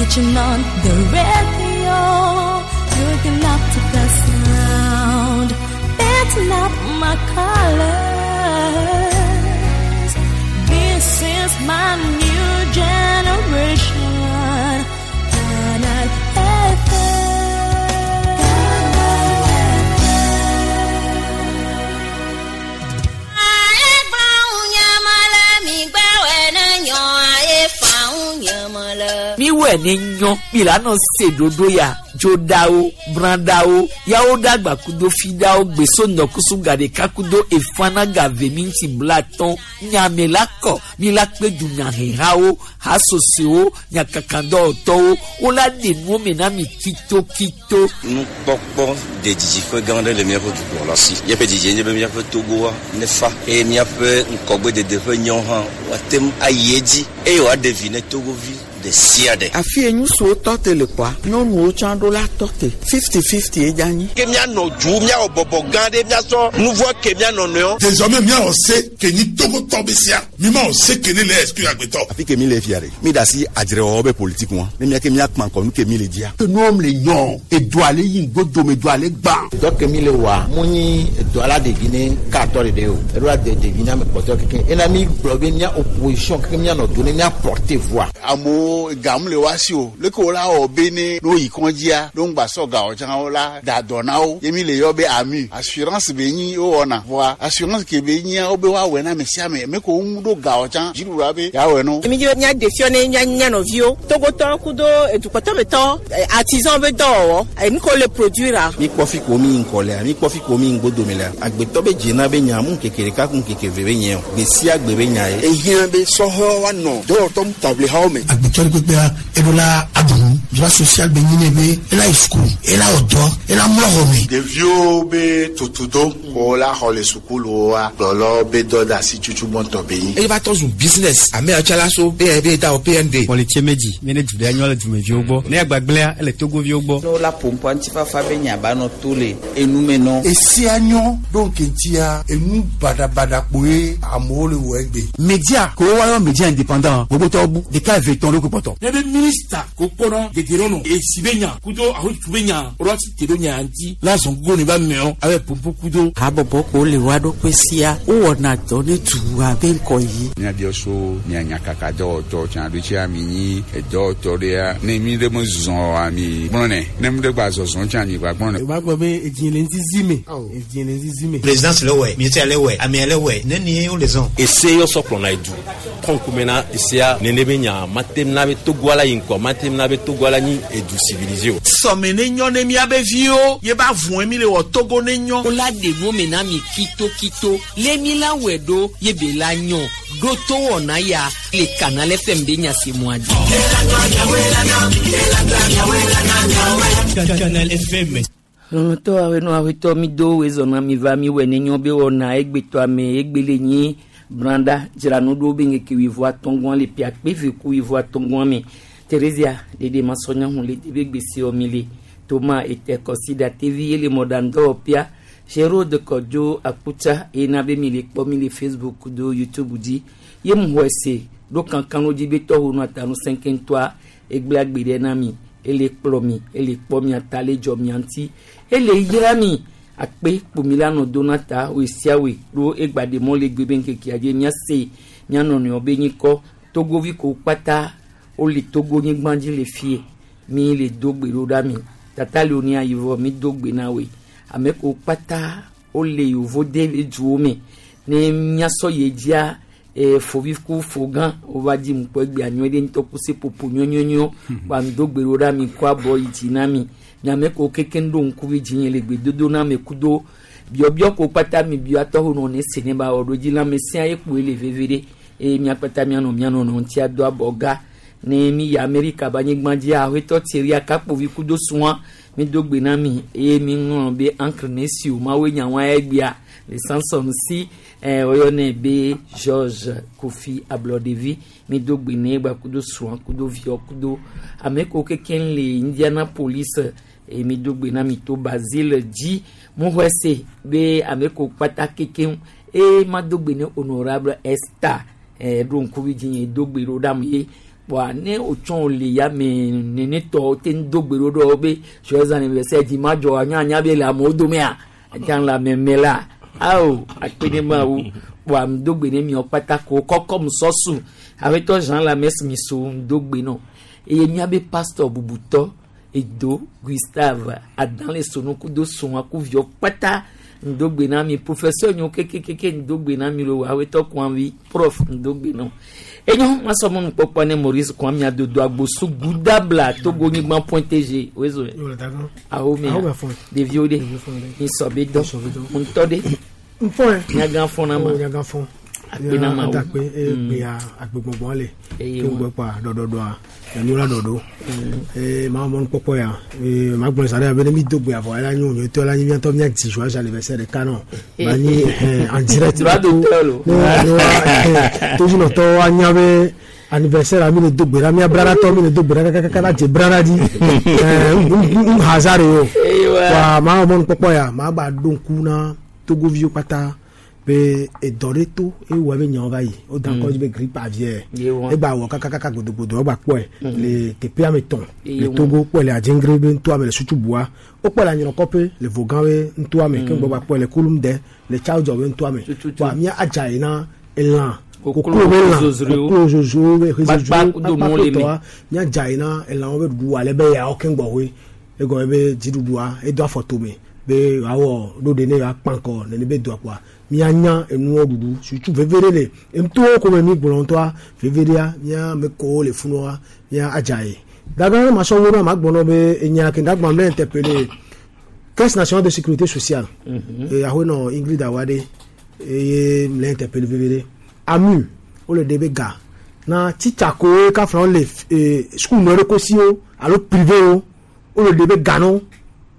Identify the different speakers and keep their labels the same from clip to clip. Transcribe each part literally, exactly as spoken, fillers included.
Speaker 1: You turn on the radio, looking up to the sound, backing up my colors. This is my new generation. Canal F M.
Speaker 2: Miwɛ ne nyɔ milano se dodo ya dzodawo brandawo yawo dagba kudo fidawo gbeso nɔkusu gaɖeka kudo efana gave minti blatɔn nyame la kɔ mi la kpe dunyahehawo hasosewo nyakakadɔwɔtɔwo wola ɖe nuwo me na mi kitokito.
Speaker 3: Nukpɔkpɔ de dzidziƒe gã aɖe le míaƒe dukplɔla si. Míaƒe dzidzie nye be míaƒe Togoa nefa eye míaƒe ŋkɔgbedede ƒe nyɔ hã woate ŋu ayi edzi eye wòaɖe vi ne Togovi ɖe sia ɖe.
Speaker 4: Afi ye ŋutsuwo tɔ te le kɔa, nyɔnuwo tsã ɖo la tɔ te fifty fifty ye dza nyi.
Speaker 5: Ke míanɔ du míawɔ bɔbɔ gã ɖe míasɔ nuvɔ ke míanɔ nɔewo.
Speaker 6: Désormais míawɔ se ke nyi Togotɔ be sia mi ma wɔ se ke ne le exclure agbetɔ.
Speaker 7: Afi ke mi le fia ɖe mi da asi adzrewɔwɔ be politique ŋua ne mía ke míakpã kɔ nu ke mi le dzia.
Speaker 8: Ke nuwo le nyɔ edoa le yi ŋgodome doa le gbã.
Speaker 9: Dɔ ke mi le wɔa mu nyi edoa la ɖevi ne katɔ ɖeɖe o eɖo la de ɖevi ne ame kpɔtɔ keke ena mi gblɔ be mía opposition keke míanɔ do ne mía porter voix.
Speaker 10: Amewo gamu le wa si o leke wo la wɔ be ne no yi kɔndzia no ŋgba sɔ gawo tsã wo la da dɔ na wo ye mi le yɔ be ami assurance be nyi wo wɔna voa assurance ke be nyia wo be woawɔe na ame sia ame ame ko ŋu ɖo gawo tsã dziɖuɖua be yeawɔe no.
Speaker 11: Mi dzi mía ɖe fiɔ ne mía mía nɔviwo Togotɔ kudo edukɔtɔmetɔ artisan be dɔwɔwɔ enu ko le produire.
Speaker 12: Mi kpɔ fi ko mi ŋkɔ lea mi kpɔ fi ko mi ŋgodome lea agbetɔ be dzena be nya mu ŋkeke ɖeka ku ŋkeke ve be nye o gbe sia gbe be nya ye.
Speaker 13: Ehiã be sɔhɔ woanɔ dɔwɔtɔ taʋlihawo me.
Speaker 14: Agbetɔ kpekpea eɖo la aɖu droit social be nyi ne be ela yi sukulu ela wɔ dɔ ela mlɔ xɔ me.
Speaker 15: Ɖeviwo be tutudo ko la xɔ le sukuluwoa kplɔlɔ be dɔ da asi tutu gbɔntɔ be nyi.
Speaker 16: Eye va tɔ zu business ame atsala so B N B da o P N D.
Speaker 17: Pɔlitsie medzi mi ne du ɖe nyɔ le dumeviwo gbɔ ne agbagblẽa ele Togoviwo gbɔ.
Speaker 18: Ne wola ƒoƒoa ŋutifafa be nya ba nɔ to le enume nɔ.
Speaker 19: Esia nyɔ ɖo ŋkeŋtia enu baɖabaɖa kpoe amewo le wɔ egbe.
Speaker 20: Media ko woayɔ media indépendant gbogbotɔwo bu ɖeka eve tɔn ɖo ko kpɔtɔ.
Speaker 21: Ne be minista ko kpɔnɔ dedienɔnɔ esi be nya kudo ahotu be nya woɖo asi te ɖo nya ŋuti la zɔn gogo ne ba mɛɔ abe pompo kudo.
Speaker 4: Habɔbɔ ko le wa ɖokui sia wowɔna dɔ ne dua be ŋkɔ yi.
Speaker 22: Míabiɔ so mía nyakaka dɔwɔtɔ tsã ɖo tsia mi nyi edɔwɔtɔ ɖea ne mi ɖe me zɔ oa mi gblɔnɛ ne mi ɖe gba zɔzɔ tsã mi gba gblɔnɛ.
Speaker 23: O b'a gbɔ be edzi le ŋzizi me edzi le ŋzizi me.
Speaker 24: Présidence le wɛ ministère le wɛ amea le wɛ ne ni wo le zɔn.
Speaker 25: Ese yɔ sɔ kplɔna edu kɔnkume na esea nene be nya matem na be Togoa la yi ŋkɔ matem na be Togoa la nyi edu civilisé o.
Speaker 26: Sɔme ne nyɔ ne miabe viwo ye ba vɔe mi le wɔ Togo ne nyɔ.
Speaker 2: Wola ɖe nuwo me na mi kitokito le mi la wɔe ɖo ye be la nyɔ ɖo to wɔna ya le Canal F M be nyasemua dzi.
Speaker 27: Canal F M.
Speaker 2: Lɔlɔtɔ awɛnɔ awɛtɔ mi do wezɔna mi va mi wɛ ne nyɔ be wɔna egbetɔ ame egbele nyi branda dzranu ɖo be ŋkeke wuivo atɔ̃gɔa le pia kpe ku wuivo atɔ̃gɔa me Theresia ɖeɖe masɔnya hu le debe gbese mi le Toma ete kɔsida tevi ye le mɔɖaŋdɔwɔƒea Gérald Kɔdzo Akutsa eye na be mi le kpɔ mi le Facebook do YouTube dzi ye mu xɔe se ɖo kankan dzi be tɔwo nu atanu sɛnkɛntɔa egblẽ agbe ɖe na mi ele kplɔ mi ele kpɔ mia ta le dzɔ mia ŋuti ele yra mi akpe kpomi la nɔ do na ta woe sia woe ɖo egba ɖe mɔ le gbe be ŋkekea dzi míase mía nɔnɔewo be nyikɔ Togovi ko kpata wole Togo nyigba dzi le fie mi le do gbe ɖo ɖa mi tata le wo ayivɔ mi do gbe na woe ame ko kpata wole yovo de le duwo me ne míasɔ ye dzia e fovi ku fogã wova dzi ŋkpɔ egbea nyuie ɖe ŋutɔ ku seƒoƒo nyɔnyɔnyɔ wa mi do gbe ɖo ɖa mi kɔ abɔ yi dzi na mi miame ko keke ɖo ŋkuvi dzi nye le gbedodo na me kudo biɔbiɔ ko kpata mi biɔ atɔwo nɔ ne se ne ba wɔ ɖo dzi la me sia ye kpoe le veve ɖe eye mia kpata mianɔ mianɔ nɔ ŋuti ado abɔ ga ne mi yi Amerika ba anyigba dzi aƒetɔ Thierry Akakpovi kudo sua mi do gbe na mi eye mi ŋlɔ be ancre ne si o mawoe nyawa egbea le Samson si eh, woyɔnɛ be George Kofi Ablɔɖevi mi do gbe ne gba kudo sua kudo viɔ kudo ame ko kekeŋ le Indianapolis eye mi do gbe na mi to Basile dzi mu xɔe se be ame ko kpata kekeŋ eye ma do gbe ne Honorable Esther eh, ɖo ŋkuvi dzi nye do gbe ɖo ɖam ye Wa ne otsɔn le ya me nene tɔ te ŋdo gbe ɖo ɖo be joyeux anniversaire dimanche dzɔ anya anya be le amewo domea etsã le ame me la awo akpe ne mawu wa ŋdo gbe ne miɔ kpata ko kɔkɔ musɔsu aƒetɔ Jean la mɛsi mi so ŋdo gbe nɔ eye miabe pasteur bubutɔ edo Gustave Adan le sonuku do sɔn akuviɔ kpata ŋdo gbe na mi professeur nyo kekekeke ŋdo gbe na mi lo aƒetɔ kwanvi prof ŋdo gbe nɔ enyo masɔmɔ nukpɔkpɔ ne Maurice Kwame adodo agbosu gudabla Togo nyigban point T G wezo awo mi ɖeviwo ɖe mi sɔ be dɔ ŋutɔ ɖe
Speaker 23: nfɔn
Speaker 2: nyagã fɔn na ma
Speaker 23: nyagã fɔn
Speaker 2: akpe na ma wo
Speaker 23: adakpe egbea agbegbɔgbɔ le
Speaker 2: Eye
Speaker 23: ke ŋgbɛ kpa ɖɔɖɔɖɔa nyɔnu la ɖɔɖo ee maa mɔnu kpɔkpɔ ya ee maa gblɔ sa ɖe be ne mi do gbe avɔ la nyo nyɔtɔ la nyi miatɔ mia dzi joyeux anniversaire ɖeka nɔ ma nyi ɛhɛn en direct
Speaker 2: Droit d'auteur lo.
Speaker 23: ne ne wa ɛhɛn tozinɔtɔwo anya be anniversaire mi le do gbe ɖa mia braɖatɔ mi le do gbe ɖa kakaka la dze braɖa dzi ɛɛ n hasard ye o
Speaker 2: Eyiwa.
Speaker 23: wa maa mɔnu kpɔkpɔ ya maa gba ɖo ŋku na togoviwo kpata be edɔ ɖe to ewɔ be nyawo va yi wo da kɔ dzi be grippe aviaire
Speaker 2: Yewa.
Speaker 23: egba wɔ kakakaka gbodogbodo egba kpɔe le teƒea me tɔn le
Speaker 2: Yewa.
Speaker 23: Togo kpɔe le Adjengre be ŋtoa me le Sutubua wokpɔe le Anyinɔkɔƒe le Vogan be ŋtoa me ke ŋgbɔ gba kpɔe le Kulumde le Tsaodzɔ be ŋtoa me wa mía adza yi na elã
Speaker 2: Koklo
Speaker 23: koklo be lã
Speaker 2: zozroewo.
Speaker 23: koklo zozowo be
Speaker 2: Kpakpa kudo mɔ le me.
Speaker 23: tɔa mía dza yi na elãwo be ɖuɖu ale be yawo ke ŋgbɔ hoe egɔme be dziɖuɖua edo afɔ tome be wòawɔ ɖo ɖe ne yewoakpã kɔ nene be doa kpoa míanya enuwo ɖuɖu sutu veve ɖe le ŋtowo ko me mi gblɔ ŋutɔa veve ɖea mía ame kowo le funua mía adza yi dagã ne masɔ wo na ma gblɔ nɔ be enya ke dagba mle interpellé Caisse nationale de sécurité sociale eye ahoe nɔ Ingrid Awade eye mle interpellé veve ɖe amu wole ɖe be ga na titsa kowo kafla wole ee sukulu nɔ ɖe kosiwo alo privé wo wole ɖe be ga nɔ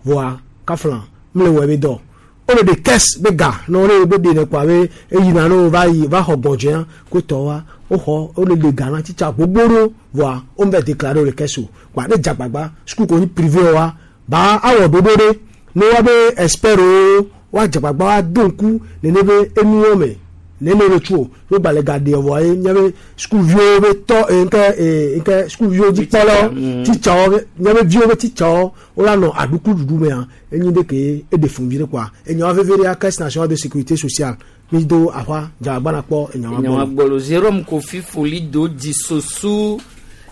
Speaker 23: voa kafla mle wɔ be dɔ wole ɖe caisse be ga ne wole be ɖe ne kpoa be eyina ne wo va yi va xɔ gbɔdzɔa ko tɔ wa woxɔ wole ɖe ga na titsa gbogbo ɖo voa wo me déclaré wo le caisse o kpoa ne dzagbagba sukulu ko nyi privé wa ba awɔ ɖoɖo ɖe ne wa be expert wo wa dzagbagba wa do ŋku nene be enuwo me nene le tso wo gba le ga ɖe vɔa ye míabe sukuviwo be tɔ ee nke ee nke sukuviwo dzikpɔlawo titsawo be míabe viwo be titsawo wola nɔ aɖuklu ɖuɖu mea enyi ɖe ke eɖe fun vi ɖe kpoa enyawa veve ɖea Caisse nationale de sécurité sociale mi do aƒa dzagbagba na kpɔ enyawa
Speaker 2: Nyawa
Speaker 23: gbɔ
Speaker 2: gbɔlo Jérôme Kofi Foli do dzi sosu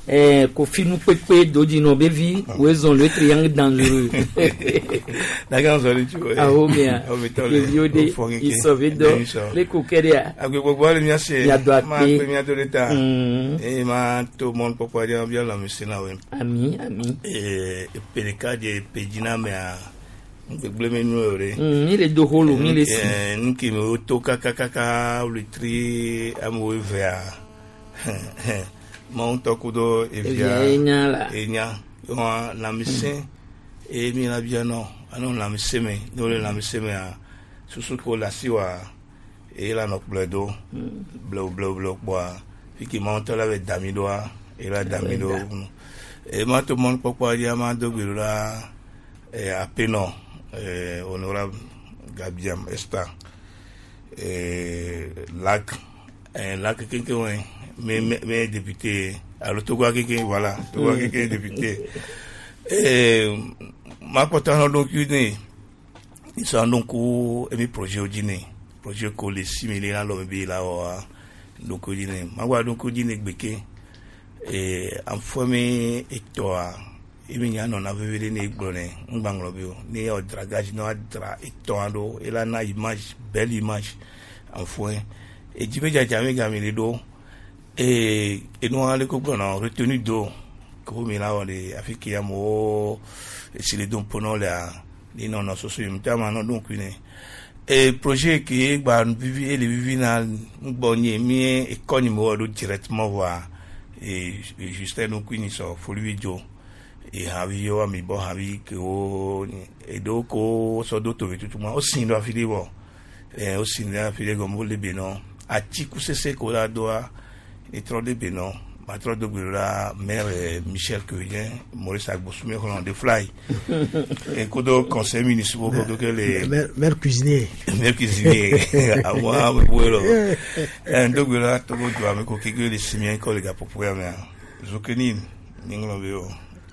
Speaker 2: eh, Kofi nukpekpe do dzi nɔ bevi wezɔn le triangle dangereux.
Speaker 1: Daga nzɔli tso.
Speaker 2: Awo mea
Speaker 1: Awo mi tɔ le
Speaker 2: ɖeviwo ɖe
Speaker 1: o fɔ keke.
Speaker 2: isɔvi dɔ
Speaker 1: Ɖe isɔ.
Speaker 2: le ko ke ɖea.
Speaker 1: Agbegbɔgbɔ le mía se.
Speaker 2: Miado akpe.
Speaker 1: Ma akpe mía do ɖe ta.
Speaker 2: Mm.
Speaker 1: Eye ma to mɔnukpɔkpɔ ɖe bia lãmesẽ na woe.
Speaker 2: Ami ami.
Speaker 1: Ee epe ɖeka dze epe dzi na amea ŋgbegble me nu o ɖe.
Speaker 2: Mm, mi le do holo mi le si.
Speaker 1: Ɛɛ nu ke me woto kakakaka wletri amewo evea mawu ŋutɔ kudo evia
Speaker 2: Evia enya la.
Speaker 1: enya wɔn lãmesẽ eye mi la bia nɔ anɔ lãmesẽ me ne wole lãmesẽ mea susu ko le asi wa eye la nɔ kplɔe do blewu blewu blewu kpɔa fi ke mawu ŋutɔ la be da mi ɖoa eye la da mi ɖo eye ma to mɔnukpɔkpɔa dzi ma do gbe ɖo la ee apenɔ ee honorable Gabiam Esther ee lac ee lac kekeŋ me me me député alo Togo kekeŋ voilà Togo kekeŋ député ee ma kpɔtɔ anɔ ɖokui ne isɔ anɔ ŋku emi projet wo dzi ne projet ko le si mi le la lɔ mi be la wɔa ɖokui dzi ne ma gba ɖokui dzi ne gbeke ee afɔ mi etɔa emi nya nɔna veve ɖe ne egblɔ ne ŋgba ŋlɔ be o ne yɔ dragage ne woadra etɔa ɖo ela na image belle image afɔe edzi be dzadza mi game le ɖo ee enua le ko gblɔna retenue d'eau ko mi la wɔ le afi ke amewo esi le do ƒo lea ni nɔnɔ soso yi ŋutɔ ama nɔ ɖo ŋkui ne e projet ke gba vivi ele vivi na ŋgbɔ nye mi ekɔ nyi me wɔ ɖo directement voa e Justin ŋkui ni sɔ folivi dzo e havi wo ami bɔ havi ke wo eɖewo ko sɔ do tovi tutu ma wo si ɖo afi ɖe vɔ ɛ wo si ɖo afi ɖe gɔme wo le be nɔ atiku sese ko la doa etrɔ ɖe be nɔ matrɔ do gbe ɖo la maire Michel Quevillien Maurice Agbossoume xlɔ de fly ekodo conseil municipal kodo ke le
Speaker 23: maire maire cuisinier
Speaker 1: maire cuisinier àwọn ame bo lɔ ɛ ndo gbe la Togo do ame ko keke le simien kɔ le gaƒoƒo ya mea Zokenin ni ŋlɔ be o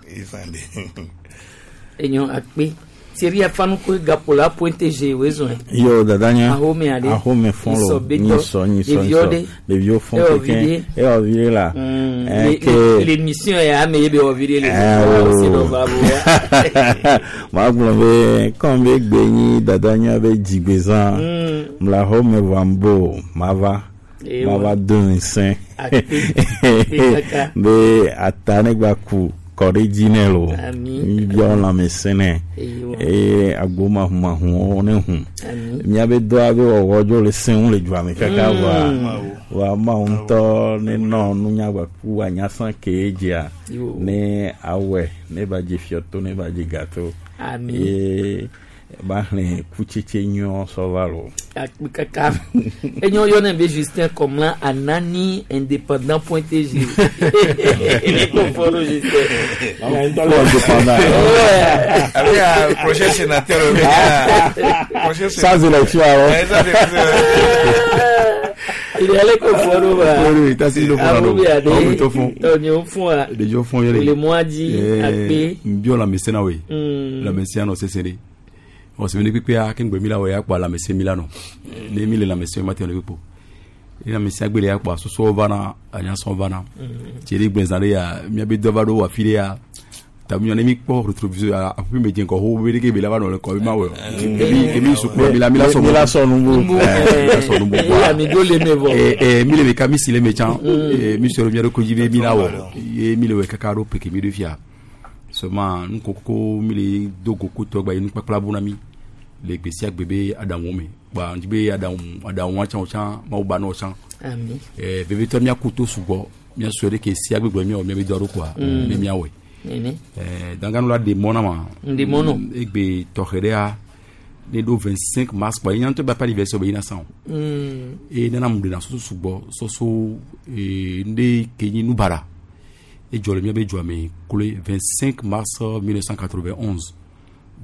Speaker 1: ezan de.
Speaker 2: Enyo akpe Thierry Afanuko Gapola Pointe G wezɔn.
Speaker 12: Yo dadanya.
Speaker 2: Ahome ale.
Speaker 12: Ahome fɔn lo. Nyisɔ nyisɔ nyisɔ. Ɖeviwo fɔn keke. Ewɔ vi ɖe la.
Speaker 2: L'émission ya ame ye be wɔ vi ɖe le.
Speaker 12: Ma gblɔ be kɔn be gbe nyi dadanya be dzigbezã. Mla ahome vɔ ambo mava. Mava do ŋusẽ. Be ata ne gba ku. Kɔ ɖe dzi nɛ lo míbiawo lãmesẽ nɛ eye agbo mahumahuwo ne hu míabe dɔa be wɔwɔ dzo le sẽŋu le dua me kaka vɔa vɔa mawu ŋutɔ ne nɔ nunya gbaku anyasã ke dzia ne awɔe ne ba dze fiɔto ne ba dze gato ye ba xlẽ kutsetse nyuiwo sɔ va lo.
Speaker 2: Kaka enyo yɔnɛ be Justin Komla Anani indépendant point G. Justin.
Speaker 12: Indépendant.
Speaker 1: Avec prochain sénateur.
Speaker 12: Sans élection alors.
Speaker 2: Il est allé confondre.
Speaker 17: Oui, oui, t'as si le fond.
Speaker 2: Ah oui, tout fond. On fond.
Speaker 17: Les gens font
Speaker 2: le mois dit akpe.
Speaker 17: Bio la mesena oui. La mesena c'est serré. On se venu pépé à kengbe mila wa yakwa la mese milano ne mile la mese mate le pepo ina mese agbele yakwa soso vana anya son vana tiri gbenzare ya mi be dovado wa file ya tamu ne mi po rétroviseur a pu me dien ko ho be ke be la va no le ko ma wo e mi e mi suku mi la mi la so
Speaker 12: mi la so numbu
Speaker 17: la so numbu
Speaker 2: e mi do le me vo
Speaker 17: e e mi le me kami si le me chan e mi so mi ro ko jibe mi la wo e mi le we kakaro peke mi de fia seulement nous koko mi le dogo ko to gba inu papla bonami le gbesia gbebe adamu me ba ndibe adamu adamu chan chan ma ba no chan
Speaker 2: ami
Speaker 17: eh bebe to mi akuto sugbo mi asore ke sia gbegbe mi o mi be doro kwa mi mi awe
Speaker 2: nene
Speaker 17: eh danganu la de mona ma
Speaker 2: de mono
Speaker 17: egbe tohere a le do vingt-cinq mars quoi il y a un peu pas anniversaire be ina san
Speaker 2: mm
Speaker 17: e nana mu de na so sugbo so so e nde kenyi nubara e jole mi be jome collé vingt-cinq mars mille neuf cent quatre-vingt-onze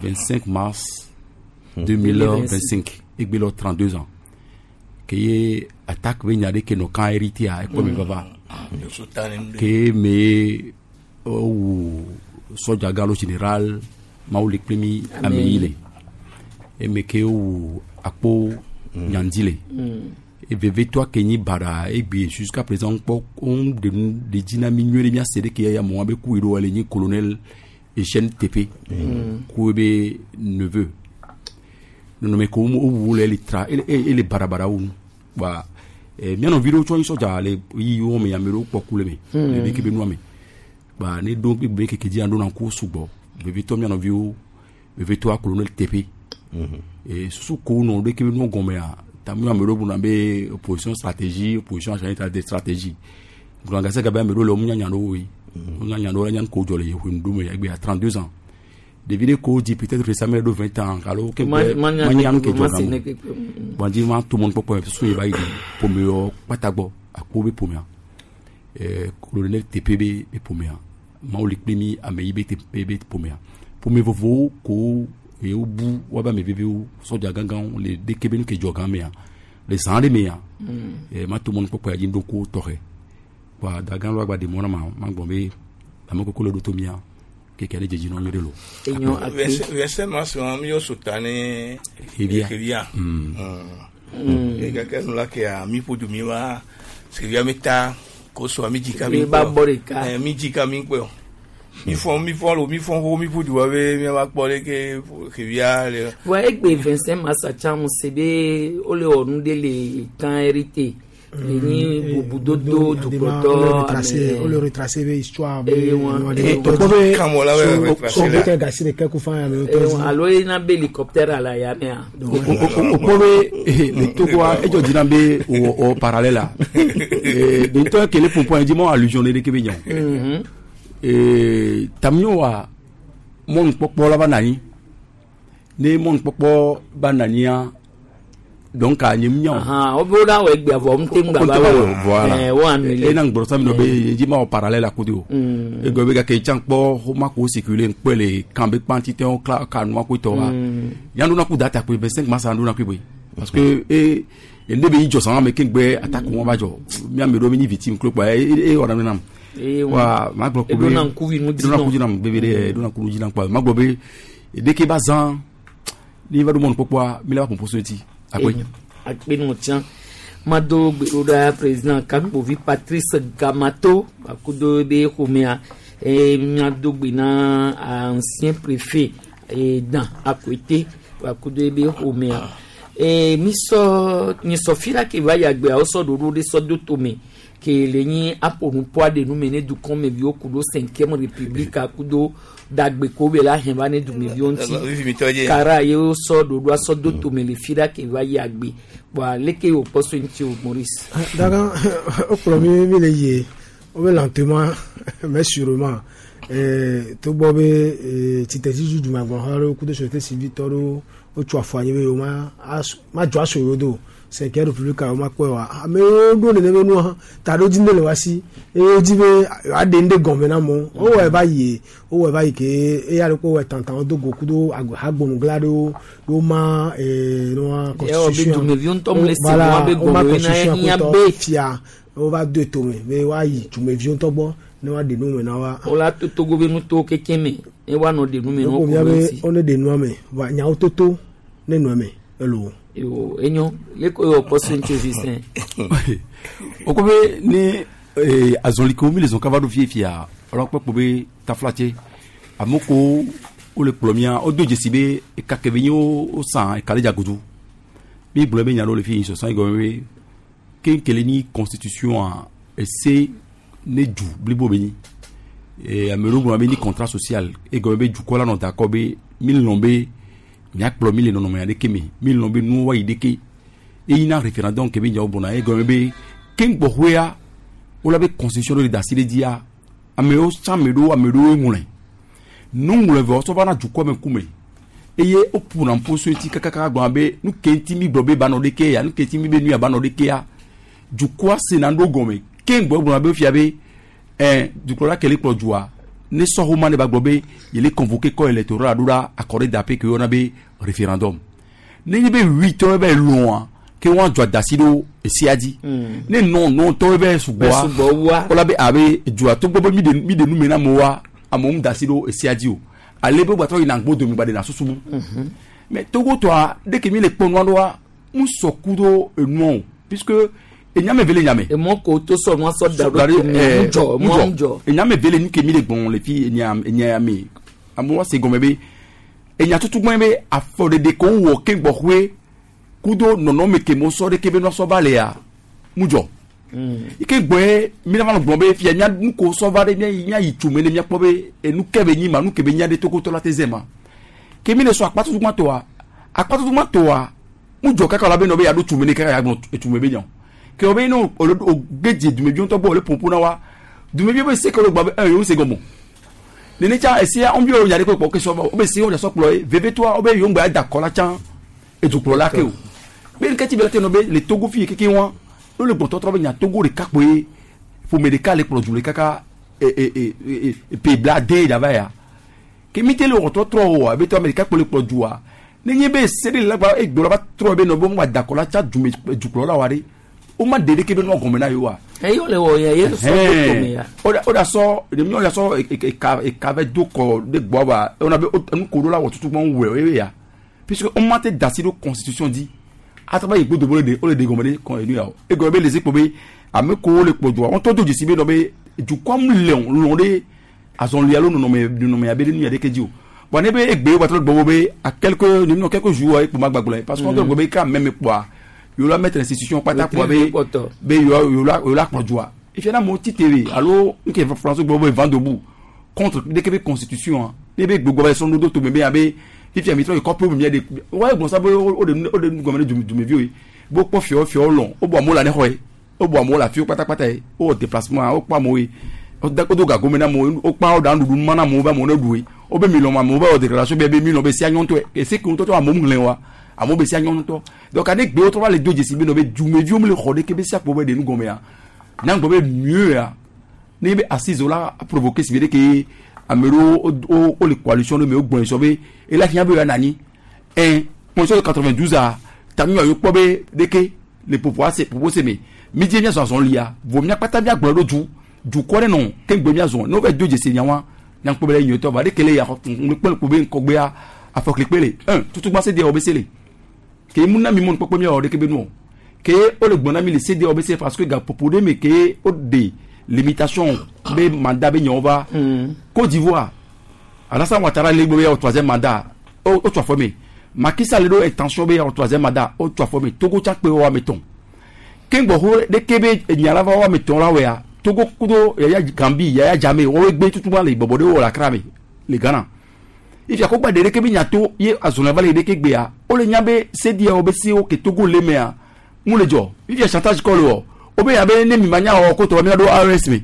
Speaker 17: vingt-cinq mars deux mille vingt-cinq et bilo trente-deux ans que ye attaque be nyade ke no kan hérité a ko mi baba ke me o soja galo général mauli primi ameile e me ke o akpo nyandile et veve toi ke ni bara et bi jusqu'à présent on on de de dynamique nyere mi asede ke ya mo be ku iro ale ni colonel Etienne T P ku be neveu non mais comme au voulait les tra et les barabara ou ba eh mi no video cho soja le yi o me yamero pokule me le bi ke be nu me ba ne do be ke ke di ando na ko sugbo be to mi no video be to colonel T P et sous ko no de ke be nu gome a tamu amero bu na be opposition stratégie opposition achanita de stratégie nganga se gabe amero le mu nya nya no we nya nya no nya ko jole ye ndu me egbe a trente-deux ans de vidéo ko dit peut-être récemment de vingt ans alors que manyan ke joga bon dit man tout monde pop so ba yi pomeo patagbo akpo be pomea eh colonel T P B be pomea mauli primi ameyi be T P B pomea pome vovo ko e obu wa ba me bebe o soja gangan le de kebe ke joga mea le san de mea eh ma tout monde pop ya jindo ko tore wa dagan lo gba de mona ma ma gbon be amoko ko lo do to mia keke ale jeji no nyere lo
Speaker 2: enyo akpe
Speaker 1: vingt-cinq mars mi yo sotane
Speaker 17: Hevia
Speaker 1: mm e keke no la ke a mi podu mi wa Hevia mi ta ko so mi jika mi
Speaker 2: ba borika
Speaker 1: eh mi jika mi pe o mi fon mi fon lo mi fon ho mi podu wa be mi wa kpɔ le ke Hevia le
Speaker 2: wa egbe vingt-cinq mars acha mo sebe o le onu de le kan hérité ni bubudodo dukoto
Speaker 23: retracé o le retracé be histoire be
Speaker 2: alo ina be hélicoptère ala ya me a
Speaker 17: o ko be le Togo e jo dina be o o parallèle la e de to ke le pompon di mo allusion de ke be nyan e tamio wa mon popo la ba nani ne mon popo ba nani a donc a nyim nyan
Speaker 2: ah o bo da we gbe avo mte ngba ba
Speaker 17: voilà
Speaker 2: eh wo anu
Speaker 17: e na ngbro sa mi no be ji ma o parallèle akodi o e go be ka ke chan po ho ma ko circuler npe le kan be quantité on ka nu ko to wa yan do na ku data pe vingt-cinq mars an do na ku be parce que e e ne be ijo san me ke ngbe attaque won ba jo mi am do mi ni victime klo pa e e ora mi na Wa ma gblɔ ko be
Speaker 2: Eɖona ŋkuvi nu dzi
Speaker 17: eɖona
Speaker 2: nɔ.
Speaker 17: ŋkuvi nam bebe ɖe eɖona ŋkuvi dzi nam kpa ma gblɔ be ɖeke ba zã ni va ɖo mɔnukpɔkpɔa mi la va ƒoƒo so ŋuti akpe.
Speaker 2: Enyo. Akpe nɔ tsã mado gbeɖoɖa président kakpovi Patrice Gamato akudo be ƒomea eye míado gbe na ancien préfet eh, Dan Akoete akudo be ƒomea eye misɔ nyisɔ fi la ke va yi agbea wosɔ ɖoɖo ɖe sɔ do tome ke le nyi aƒonuƒoa ɖe nume ne dukɔmeviwo ku ɖo cinquième république akudo dagbe ko be la hɛn va ne dumeviwo ŋuti kara ye wosɔ ɖoɖoa sɔ do tome le fi la ke va yi agbe bɔn aleke wòkpɔ so ŋuti o Maurice.
Speaker 23: Daga wokplɔ mi mi le yie wobe lentement mais sûrement eh, togbɔ be eh, tsitretsiɖuɖu dumeagblɔha ɖewo kudo société civile tɔ ɖewo wotso afɔ anyi be yewo ma as- madzɔ aso yewo do cinquième république yewo ma kpɔe wa amewo ɖo nene be nua taɖodzi ne le wa si eye wodzi be yewoaɖe nu ɖe gɔme na amewo wowɔe va yie wowɔe va yi ke eya ɖe kpo wɔe tãtã do go kudo ag- hagbonugla ɖewo woma eh, nua
Speaker 2: Yɛ wɔ be dumeviwo ŋutɔ mle se
Speaker 23: Voilà,
Speaker 2: nua be
Speaker 23: woma
Speaker 2: gɔme na
Speaker 23: constitution
Speaker 2: hiã
Speaker 23: kutɔ
Speaker 2: be
Speaker 23: fia wova do tome be woayi dumeviwo ŋutɔ gbɔ ne woaɖe nu me na wa.
Speaker 2: wola to Togo be nutowo kekem me ne woanɔ ɖe nume na wo
Speaker 23: Woko
Speaker 2: ko
Speaker 23: mía
Speaker 2: be
Speaker 23: be
Speaker 2: ŋuti.
Speaker 23: wone ɖe nua me va nyawo toto ne nua me elo.
Speaker 2: Yo enyo leko ye wòkpɔ so ŋuti o Justin.
Speaker 17: o ko be ne eh, azɔlikewo mi le zɔn kaba ɖo fie fia ɔlɔ kpɔ kpo be taflatse amewo ko wole kplɔ mia wodo dzesi be eka ke be nye wo wo san eka ɖe dza godo mi gblɔ be nya ɖewo le fi sɔsɔ yi gɔme be kenkele ni constitution a ese ne du blibo be nyi eh, ame ɖewo gblɔna be ni contrat social egɔme be dukɔ la nɔ d'accord be mi lɔn be miakplɔ mi le nɔnɔme aɖeke me mi lɔn be nuwo wa yi ɖeke eyina référendum ke be nyawo gbɔna egɔme be keŋgbɔxɔea wola be constitution ɖo le da asi ɖe dzia amewo tsã ame ɖewo ame ɖewo ŋlɔe nuŋlɔe vɔ sɔ va na dukɔ me ŋkume eye woƒona ƒo so ŋuti kakaka gblɔna be nu ke ŋuti mi gblɔ be ba nɔ ɖeke ya nu ke ŋuti mi be nu ya ba nɔ ɖeke ya dukɔa sena ɖo gɔme keŋgbɔ gblɔna be fia be ɛn dukplɔla ke le kplɔ dua ne sɔhoma ne ba gblɔ be yele convoqué corps électoral ɖo ɖa accordé d'appui ke woyɔna be référendum ne nye be huit tɔwo bɛ lɔa ke wɔn adzɔ adasi ɖo esia dzi ne nɔ nɔ tɔwo bɛ
Speaker 2: Bɛ
Speaker 17: sugbɔa
Speaker 2: sugbɔ wua.
Speaker 17: wola be abe dua togbɔ be mi de mi de nu me na amewoa amewo mu dasi ɖo esia dzi o ale be gbatɔ yina gbo domi gba de na susu bu mais Togo tɔa ɖeke mi le kpɔ nua ɖoa mu sɔ ku ɖo enua o puisque enyame ve le nyame.
Speaker 2: Emɔ ko to sɔ nua sɔ da ɖo tome
Speaker 17: Eh,
Speaker 2: ŋudzɔ emɔ ŋudzɔ.
Speaker 17: enyame ve le nu ke mi le gbɔn le fi enya enya me amewo se gɔme be enya tutu gbɔn be afɔɖeɖe ko wɔ ke gbɔxɔe kudo nɔnɔme ke mo sɔ ɖe ke be nua sɔ va lea mu dzɔ ike gbɔe mi na va nɔ gblɔ be fia mía nu ko sɔ va ɖe mía yi mía yi tso me ne míakpɔ be enu ke be nyi ma nu ke be nya ɖe tokotɔ la te zɛ ma ke mi le sɔ akpatutu gbãtɔa akpatutu gbãtɔa mu dzɔ kaka la be nɔ be yaɖo tso me ne kaka ya gblɔ etso me be nya o ke wo be ne o o gedze dumeviwo ŋutɔ gbɔ wòle ƒoƒo na wa dumeviwo be se ke wo le gblɔ be ɛ yewo se gɔme o nene tsa esia wɔn bi wo nya ɖe kpɔ ke sɔ va wo be se wo nya sɔ kplɔ ye vevetoa wo be yewo ŋgbɛ ada kɔ la tsã edukplɔla ke o be nketi be la te nɔ be le Togo fi keke wa no le gbɔtɔtrɔ be nya Togo ɖeka kpoe ƒome ɖeka le kplɔ du le kaka e e e e e pe bla de dava ya ke mi te le wɔtɔtrɔ o abe tɔ ame ɖeka kpo le kplɔ dua ne nye be se ɖe le la gba egblɔ va trɔ be nɔ be mo da kɔ la tsa dume dukplɔla wa ɖe o ma de ɖeke be nua gɔme na ye wa.
Speaker 2: Eyi wole wɔ ya ye sɔ do tome ya.
Speaker 17: o da o da sɔ ɖe mi o da sɔ eka eka vɛ do kɔ de gbɔ wa o na be nu ko ɖo la wɔ tutu gbɔn wɛ o ye ya puisque o ma te da si ɖo constitution di ataba yi gbodo bo le de o le de gɔme ɖe kɔn enu ya o egɔme be le zikpo be ame ko le kpɔ dua wɔn tɔ do dzesi be nɔ be dukɔa mu le lɔn ɖe azɔli alo nɔnɔme nɔnɔme abe ɖe nu ya ɖeke dzi o bon ne be egbe wa trɔ gbɔ be à quelques ne quelques jours ekpo ma gbagblɔ parce que on trɔ gbɔ be ka mɛmɛ kpɔa yewo la mettre institution kpata kpɔa be be yewo yewo la yewo la kplɔ dua efia na amewo tite alo nke France gbɔ be vent debout contre ɖeke be constitution ne be gbogbo be sɔn do tome be abe fifia mi trɔ yi kɔƒe mi de wa gbɔn sa be o de o de nu gɔme ne dumeviwo ye bo kpɔ fiɔ fiɔ lɔn o bɔ amewo la ne xɔ ye o bɔ amewo la fiwo kpatakpata ye o wɔ déplacement o kpɔ amewo ye o da o do gago me na amewo o kpa o da nuɖuɖu ma na amewo be amewo ne ɖu ye o be mi lɔn amewo be wɔ déclaration be be mi lɔn be sia nyɔntɔ ye ese ke ŋutɔ amewo ŋlɛ wa amewo be sia nyɔntɔ donc ane gbewo trɔ va le do dzesi be nɔ be dumeviwo mi le xɔ ɖeke be sia kpɔ be ɖe nu gɔme ya nyagbɔ be mieux ya ne be assise la provoqué si be ɖe ke ame ɖewo wo wo le coalition ɖe me wo gbɔn sɔ be ela hiã be ya nani ɛn constitution de quatre-vingt-douze a tami wa yɔ kpɔ be ɖeke le popo ase popo se me mi dzi mia zɔzɔn lia vo mia kpata mia gblɔ ɖo du Dukɔ ɖe nɔ ke ŋgbe miazɔ ne wova do dzesi nyawa nyankpɔ be le nyuietɔ va ɖeke le ya ŋkpɔ kpo be ŋkɔgbea afɔklikpe le un tutugba se deɛ wo be se le ke mu na mi mɔnu kpɔkpɔ miawɔ ɖeke be nu o ke wole gblɔ na mi le se deɛ wo be se parce que gaƒoƒo ɖe me ke wo de limitation be mandat be nyawo va Côte d'Ivoire Alassane Ouattara le gbe be yawɔ troisième mandat o o tso afɔ me Macky Sall ɖo intention be yawɔ troisième mandat o tso afɔ me Togo tsa kpe wo ame etɔ̃ ke ŋgbɔ ɖeke be nya la va wo ame etɔ̃ la wɔa Togo kudo Yaya Gambi Yaya Jammeh woawoe gbe tutugba le bɔbɔ ɖe wo le Accra me le Ghana ifia ko gba ɖe ɖeke be nya to ye azɔlia va le ɖeke gbea wole nya be sedia wo be sewo ke Togo le mea mu le dzɔ ifia chantage kɔ le wɔ wo be ya be ne mi ma nya wɔ ko tɔ mi ɖo AES me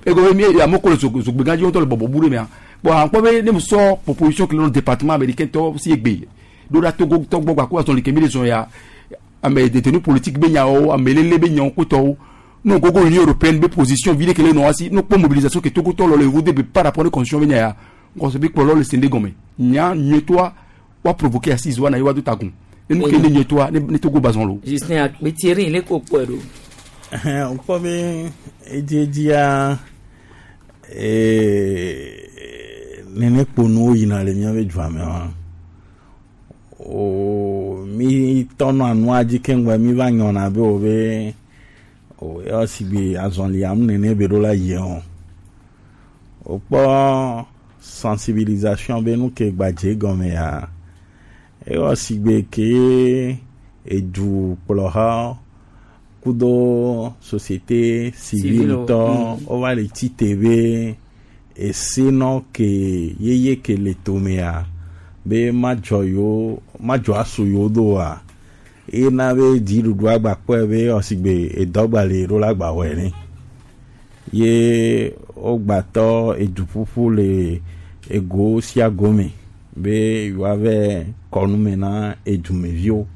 Speaker 17: ego be mi amewo ko le zogbegã dzi wotɔ le bɔbɔ bu ɖe mea bon akpɔ be ne mu sɔ proposition ke le nɔ département américain tɔ si egbe ɖo ɖa Togo tɔ gbɔ gba ko azɔli ke mi le zɔn ya ame détenu politique be nyawo ame lele be nyawo kotɔwo no gogo Union européenne be position vi ɖe ke le nɔ asi no kpɔ mobilisation ke Togo tɔ lɔ le vo de be par rapport ne constitution be nya ya nkɔsɔ bi kplɔlɔ le sende gɔmɛ nya nyuietɔa wa provoquer assise wa na ye wa do tagun enu ke ne nyuietɔa ne ne Togo bazɔn lo.
Speaker 2: Justin akpe Thierry le ko kpɔe ɖo.
Speaker 12: Ŋkpɔ be edziedzia nene kponuwo yina le míaƒe dua me wa o mi tɔnɔ anua dzi keŋgbe mi va nyɔna be o be o yɔ sigbe azɔlia nu nene be ɖo la yie o wokpɔ sensibilisation be nu ke gbadze gɔme ya eyɔ sigbe ke edu kplɔha kudo société civile tɔ wova le tite be esenɔ ke yeye ke le tomea be madzɔ yewo madzɔ asu yewo do oa ena be dziɖuɖua gba kpɔe be ɔsigbe edɔgba le ɖo la gba wɔe ne ye wogbatɔ eduƒuƒu le ego sia go me be yewoave kɔnume na edumeviwo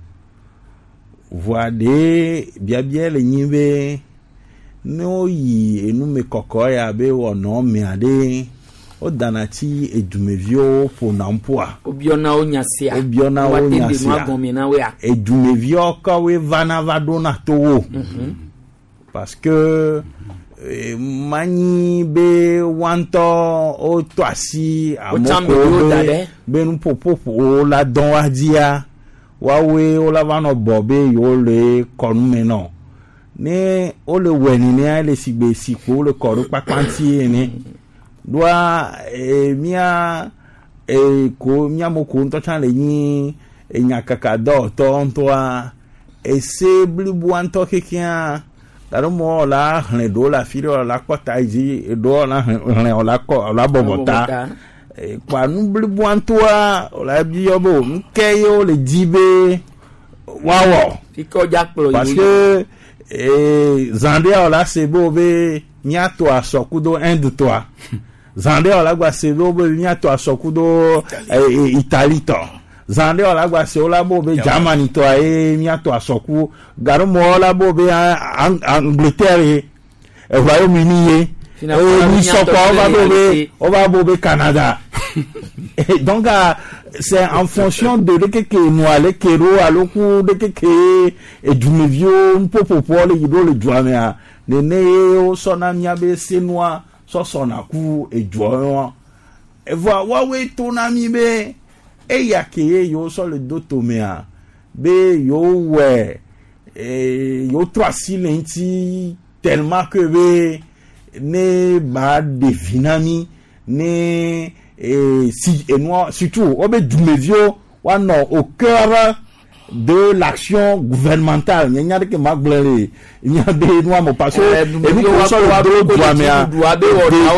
Speaker 12: voa ɖe biabia le nyi be ne woyi enume kɔkɔ ya be wɔnɔ mea ɖe wodana tsi edumeviwo ƒona ƒua.
Speaker 2: Wobiɔna wo nya sia.
Speaker 12: Wobiɔna wo nya sia. Edumeviwo kɔwoe vana va ɖona towo. Parce que eh, manyi be woa ŋutɔ wotɔ asi amewo be be nuƒoƒoƒo la dɔn wa dzia woawoe wola va nɔ bɔ be yewo le kɔnume nɔ ne wole wɔe nenea ele sigbe sikpo wole kɔ ɖo kpakpa ŋuti ene ɖoa e, mía e, ko míame ko ŋutɔ tsã le nyi enyakaka dɔwɔtɔ ŋutɔa ese bliboa ŋutɔ kekea gake mɔ la xlẽ ɖewo le afi ɖe la kɔ ta yi dzi ɖewo la xlẽ la kɔ la bɔbɔ ta kpa nu bliboa ŋutɔa la biɔ be o nu ke ye wole di be woawɔ parce que zã ɖea la se be wo be míato asɔ kudo Inde tɔa zã ɖea la gba se be wo be míato asɔ kudo Italie tɔ zã ɖe la gba se wo la bo be Germany tɔa ye míato asɔ ku gake mɔ la bo be Angleterre ye Royaume-Uni ye eye sɔkɔ wova bo be wova bo be Canada donc c'est en fonction de ɖeke ke nua le ke ɖo alo ku ɖeke ke edumeviwo nuƒoƒoƒoa le yi ɖo le dua mea nene ye wosɔna míabe senua sɔsɔna ku edua evɔa woawoe tona mi be eya ke ye yewo sɔ le do tomea be yewo wɔe yewo trɔ asi le ŋuti tellement que be ne ba ɖe vi na mi ne eh, si enua surtout wobe dumeviwo woanɔ au cœur de l'action gouvernementale nye nya ɖeke ma gblɔ le míabe nua me parce que enu ko sɔ le do dua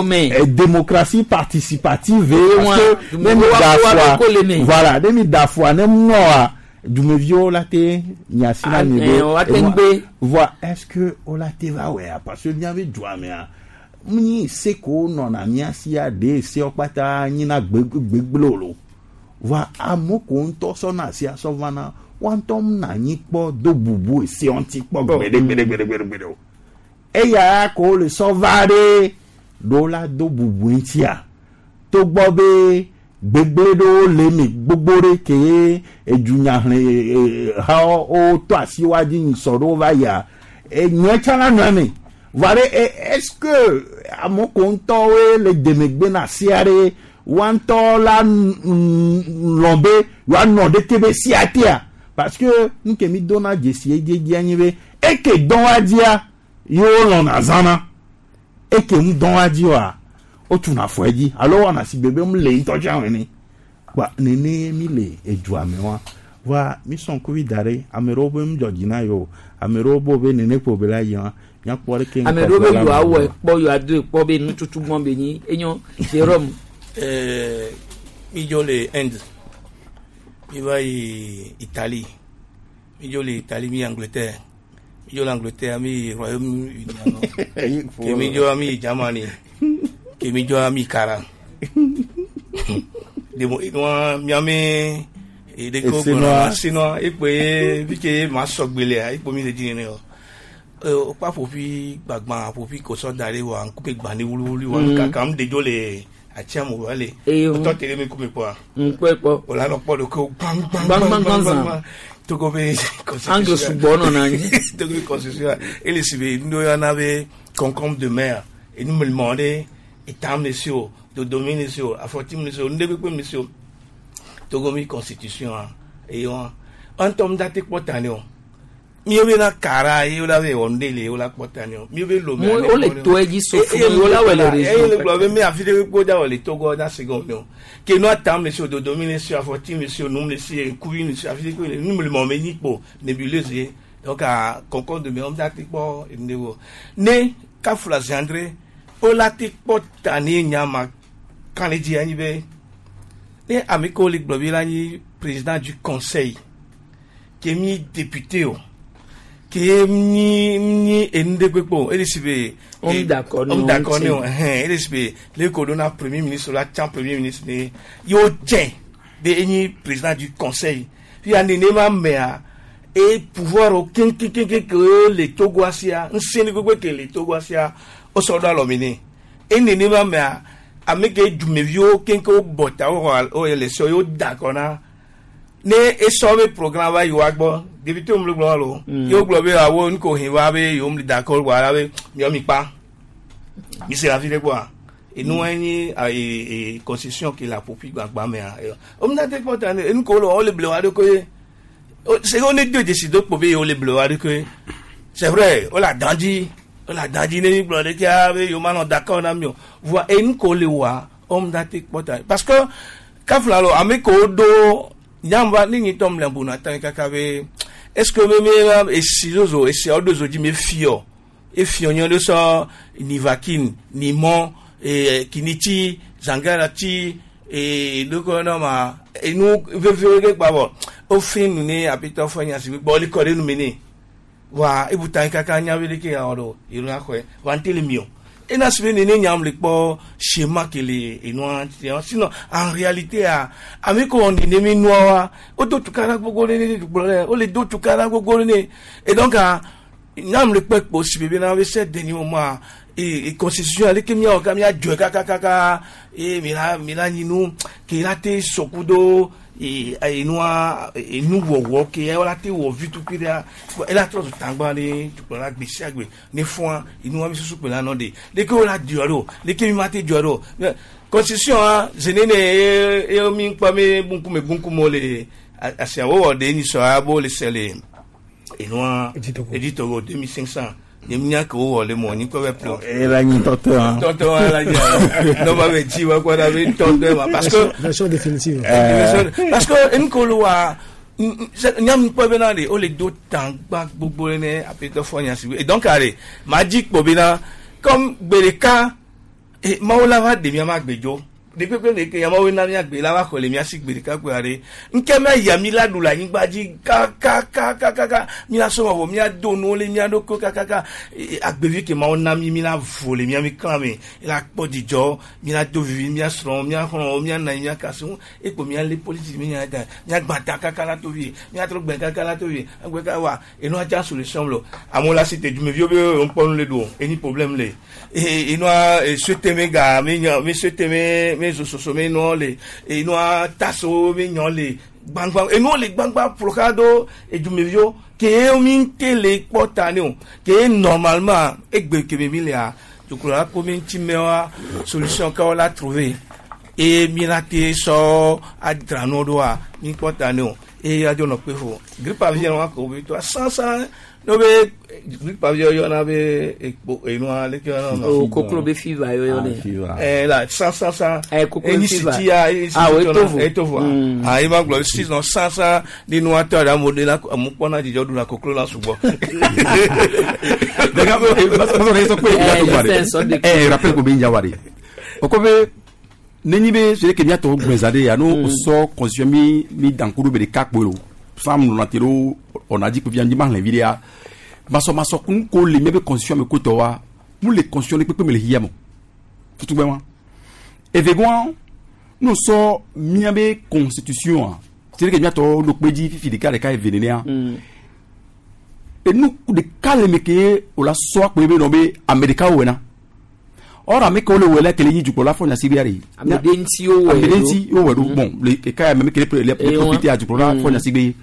Speaker 12: mea démocratie participative parce que ne mi da fua voilà ne mi da fua ne mɔa dumeviwo la te nyasi na mi be voa est-ce que wo la te va wɔa parce que míabe dua mea nyi se ko nɔna mía sia ɖe sewo kpata nyina gbegblẽ o voa amewo ko ŋutɔ sɔna asia sɔ vana woa ŋutɔ na anyi kpɔ do bubu esewo ŋuti kpɔ gbeɖe gbeɖe gbeɖe gbeɖe gbeɖe o eya ko wole sɔ va ɖe ɖewo la do bubu ŋutia togbɔ be gbegblẽ ɖewo le eme gbogbo ɖe ke edunyahlẽ hawo wotɔ asi woa dzi nyisɔ ɖewo va yia enye tsã la nɔ eme. Voa ɖe est-ce que amewo ko ŋutɔwoe le demegbe na sia ɖe woa ŋutɔ la lɔ̃ be yewoanɔ ɖeke be sia tea parce que nu ke mi dona dzesi edzedzi anyi be eke dɔn wa dzia yewo lɔ̃na zãna eke ŋu dɔn wa dzi oa wotuna afɔ edzi alo wɔna si gbe be mu le ŋutɔ tsã ene kpa nene mi le edua me wa voa mi sɔn kuvi da ɖe ame ɖewo be ŋdzɔ dzi na yewo ame ɖewo bo be nene kpo be la yi wa míakpɔ ɖeke
Speaker 2: ame ɖewo be yewoa wɔ ekpɔ yewoa do ekpɔ be nututu gbɔn be nyi enyo Jérôme.
Speaker 1: Ɛɛ mi dzo le Inde mi va yi Italie mi dzo le Italie mi yi Angleterre mi dzo le Angleterre mi yi Royaume-Uni ke mi dzo mi yi Germany ke mi dzo mi yi Kara demo enua miame edeke gbɔna sinua ekpe fi ke ma sɔgbe lea ekpo mi le dzi nene o wokpa ƒoƒi gbagba ƒoƒi kosɔ da ɖe wa ŋkume gbã ne wluwlu wa kaka ŋu ɖedzo le atsiamu va le wotɔ te ɖe mi ŋkume kpɔa
Speaker 2: ŋkpɔe kpɔ
Speaker 1: wòle anɔ kpɔ ɖo ke gbãgbãgbãgbãgbã togo be
Speaker 2: angle sugbɔ nɔna anyi
Speaker 1: togo be constitution ele si be nu yɔna be concombre de mer enu mlimɔ ɖe etam le si o dodomi le si o afɔtim le si o nuɖe kpekpe le si o togo mi constitution eye wa ŋutɔ mu date kpɔ ta ne o miwo be na kara ye wo la be wɔ nuɖe le wo la kpɔ ta ne o miwo be lome
Speaker 2: wo le to edzi so fún wo la wɔ le région
Speaker 1: eye le gblɔ be mi afi ɖe kpekpe da wɔ le togo da se gɔme o ke nua tam le si o dodomi le si o afɔtim le si o num le si ŋkuvi le si o afi ɖe kpekpe le nu mlimɔ me nyi kpo nébuleuse ye donc a concombre de mer wo date kpɔ enu ɖe wo ne kafla zandre wo la te kpɔ ta ne nyama kan le dzi anyi be ne ame kewo le gblɔ be la nyi président du conseil ke mi député o ke mi mi enu ɖe kpekpe o ele si be
Speaker 2: homme d'accord
Speaker 1: homme d'accord ne o ɛhɛn ele si be le ko do na premier ministre la tsã premier ministre ne yewo tsɛ be enyi président du conseil fia nenema mea e pouvoir o keŋkeŋkeŋ ke le Togoa sia ŋusẽ ɖe kpekpe ke le Togoa sia wosɔ ɖo alɔme nɛ e nenema mea ame ke dumeviwo keŋkeŋ wo bɔ ta wo xɔ wo élection yewo da akɔ na ne esɔ be programme va yi wa gbɔ député wo mu le gblɔ wa lo yewo gblɔ be awo nuko hin va be yewo mu le da akɔ wa la be miɔ mi kpa mi se afi ɖe gbɔa enua nyi ee constitution ke le aƒoƒi gbagba mea wo mu na te kpɔ ta ne enu ko wo le wo le ble wa ɖo koe c'est qu'on est deux décideurs pour be yewo le ble wa ɖo koe c'est vrai wo le adan dzi wo le adan dzi ne mi gblɔ ɖe tia be yewo ma nɔ d'accord na mi o voa enu ko le wa wo mu na te kpɔ ta parce que kafla lo ame kewo ɖo nyamba ne nyi tɔ mle bu na ta kaka be est-ce que me me esi zozo esiawo ɖo zo dzi me fiɔ efiɔ nyɔ ɖe sɔ nivaquine nimɔ ee kinitsi zangalati ee ɖokɔ nɔ ma enu veve ɖe gba bɔ wofi nu ne apitɔ fɔ nya si gbɔ li kɔ ɖe nu me ne wa ebuta kaka nya be ɖeke ya wɔ ɖo yìrò axɔe wa ŋutɛ le mi o ena si be nene nyam le kpɔ schéma ke le enua tia sinon en réalité a ame ko nene mi nua wa wo do tukara gbogbo ne ne gblɔ ɖe wo le do tukara gbogbo ne et donc a nyam le kpɔ kpo si bebe na be se deni mo ma e constitution ale ke miawɔ ka miadzɔe kakakaka e mi la mi la nyinu ke la te sɔku do e enua enuwɔwɔ ke la te wɔ vi tukui ɖea ela trɔ zu tagba ne tukplɔla gbe sia gbe ne fɔa enua mi susu kpe la nɔ de leke wo la dzɔ ɖo leke mi ma te dzɔ ɖo constitution a zene ne ye ye mi kpɔ mi bunkume bunkume le asiawo wɔ de nyisɔ abo le se le enua editogo deux mille cinq cents ne nya ke wowɔ le mɔ ni kɔ bɛ plɔ.
Speaker 12: ela nyi tɔtɔ han.
Speaker 1: tɔtɔ ala nyi n'o ma bɛ ji wa kɔ da bɛ tɔtɔ ma parce que.
Speaker 23: version définitive.
Speaker 1: parce que nkolo wa nyam kpɔ bɛ na de o le do tangba gbogbo ne apetɔ fɔ nya si et donc ale ma dzi kpɔ bɛ na comme gbe ɖeka mawo la va de mia ma gbe dzo dekpekpe le ke yamawo na mia gbe la va xɔ le mia si gbe ɖeka kpe aɖe nke mia ya mi la ɖu le anyigba dzi kakakakaka mi la sɔmɔ vɔ mia do nuwo le mia ɖokui kakaka agbevi ke mawo na mi mi la vo le mia mi klã me la kpɔ dzidzɔ mi la do vivi mia srɔ̃ mia xlɔ̃wo mia na mia kasi ŋu ekpo mia lé politiki mi nya da mia gba ta kaka la to vie mia trɔ gbɛ kaka la to vie agbe ka wa enua dza solution lo amewo la si te dumeviwo be ŋkpɔnu le do eni problème le enua suete me ga mi nya mi suete me mi zososo mi nua le enua taso mi nyɔ le gbangba enuwo le gbangba ƒoxa do edumeviwo Ke mi te le kpɔ ta ne o. Ke normalement egbe ke mi lea dukplɔla ko mi ŋuti me wa solution ka la trouver eye mi la te sɔ adzra nu ɖoa mi kpɔ ta ne o eye adzo nɔ kpe fo grippe aviaire wa ko be to sansan n'o be grippe aviaire yɔna be ekpo enua leke yɔna ma.
Speaker 2: O koklo be fever yɔyɔ ne.
Speaker 1: Ɛ la san san san.
Speaker 2: Ɛ koklo
Speaker 1: Enyi
Speaker 2: fever.
Speaker 1: siti ya enyi
Speaker 2: Ah, o
Speaker 1: siti
Speaker 2: etovo.
Speaker 1: etovo. Ah i ma gblɔ sisan san san ni nua tɔ ɖe amewo de la amewo kpɔna dzidzɔ ɖuna koklo la sugbɔ.
Speaker 17: Eh, rappel ko be njawari. O ko be nenyi be sele ke miato gbezade ya no so constitution mi mi dankuru be de kakpo lo. Sam no natero on a dit que vient di ma le vidéa. Maso maso kun ko le mi be constitution me ko to wa. Mu le constitution le pepe me le hiyamo. Futu gbe wa. Evegwan no so mi be constitution a. Sele ke miato lo peji fifi de ka de ka evenene a. Enu ɖeka le me ke o la sɔ akpe be nɔ be ame ɖeka wɔ na or ame kewo le wɔ la kele yi dukplɔla fɔ nyasi bia de
Speaker 2: Ame ɖe ŋuti wowɔe
Speaker 17: ame ɖe
Speaker 2: ɖo.
Speaker 17: ŋuti wowɔe ɖo bon le eka ya me ke le le
Speaker 2: Eh,
Speaker 17: profiter a dukplɔla
Speaker 2: Mm.
Speaker 17: fɔ nyasi be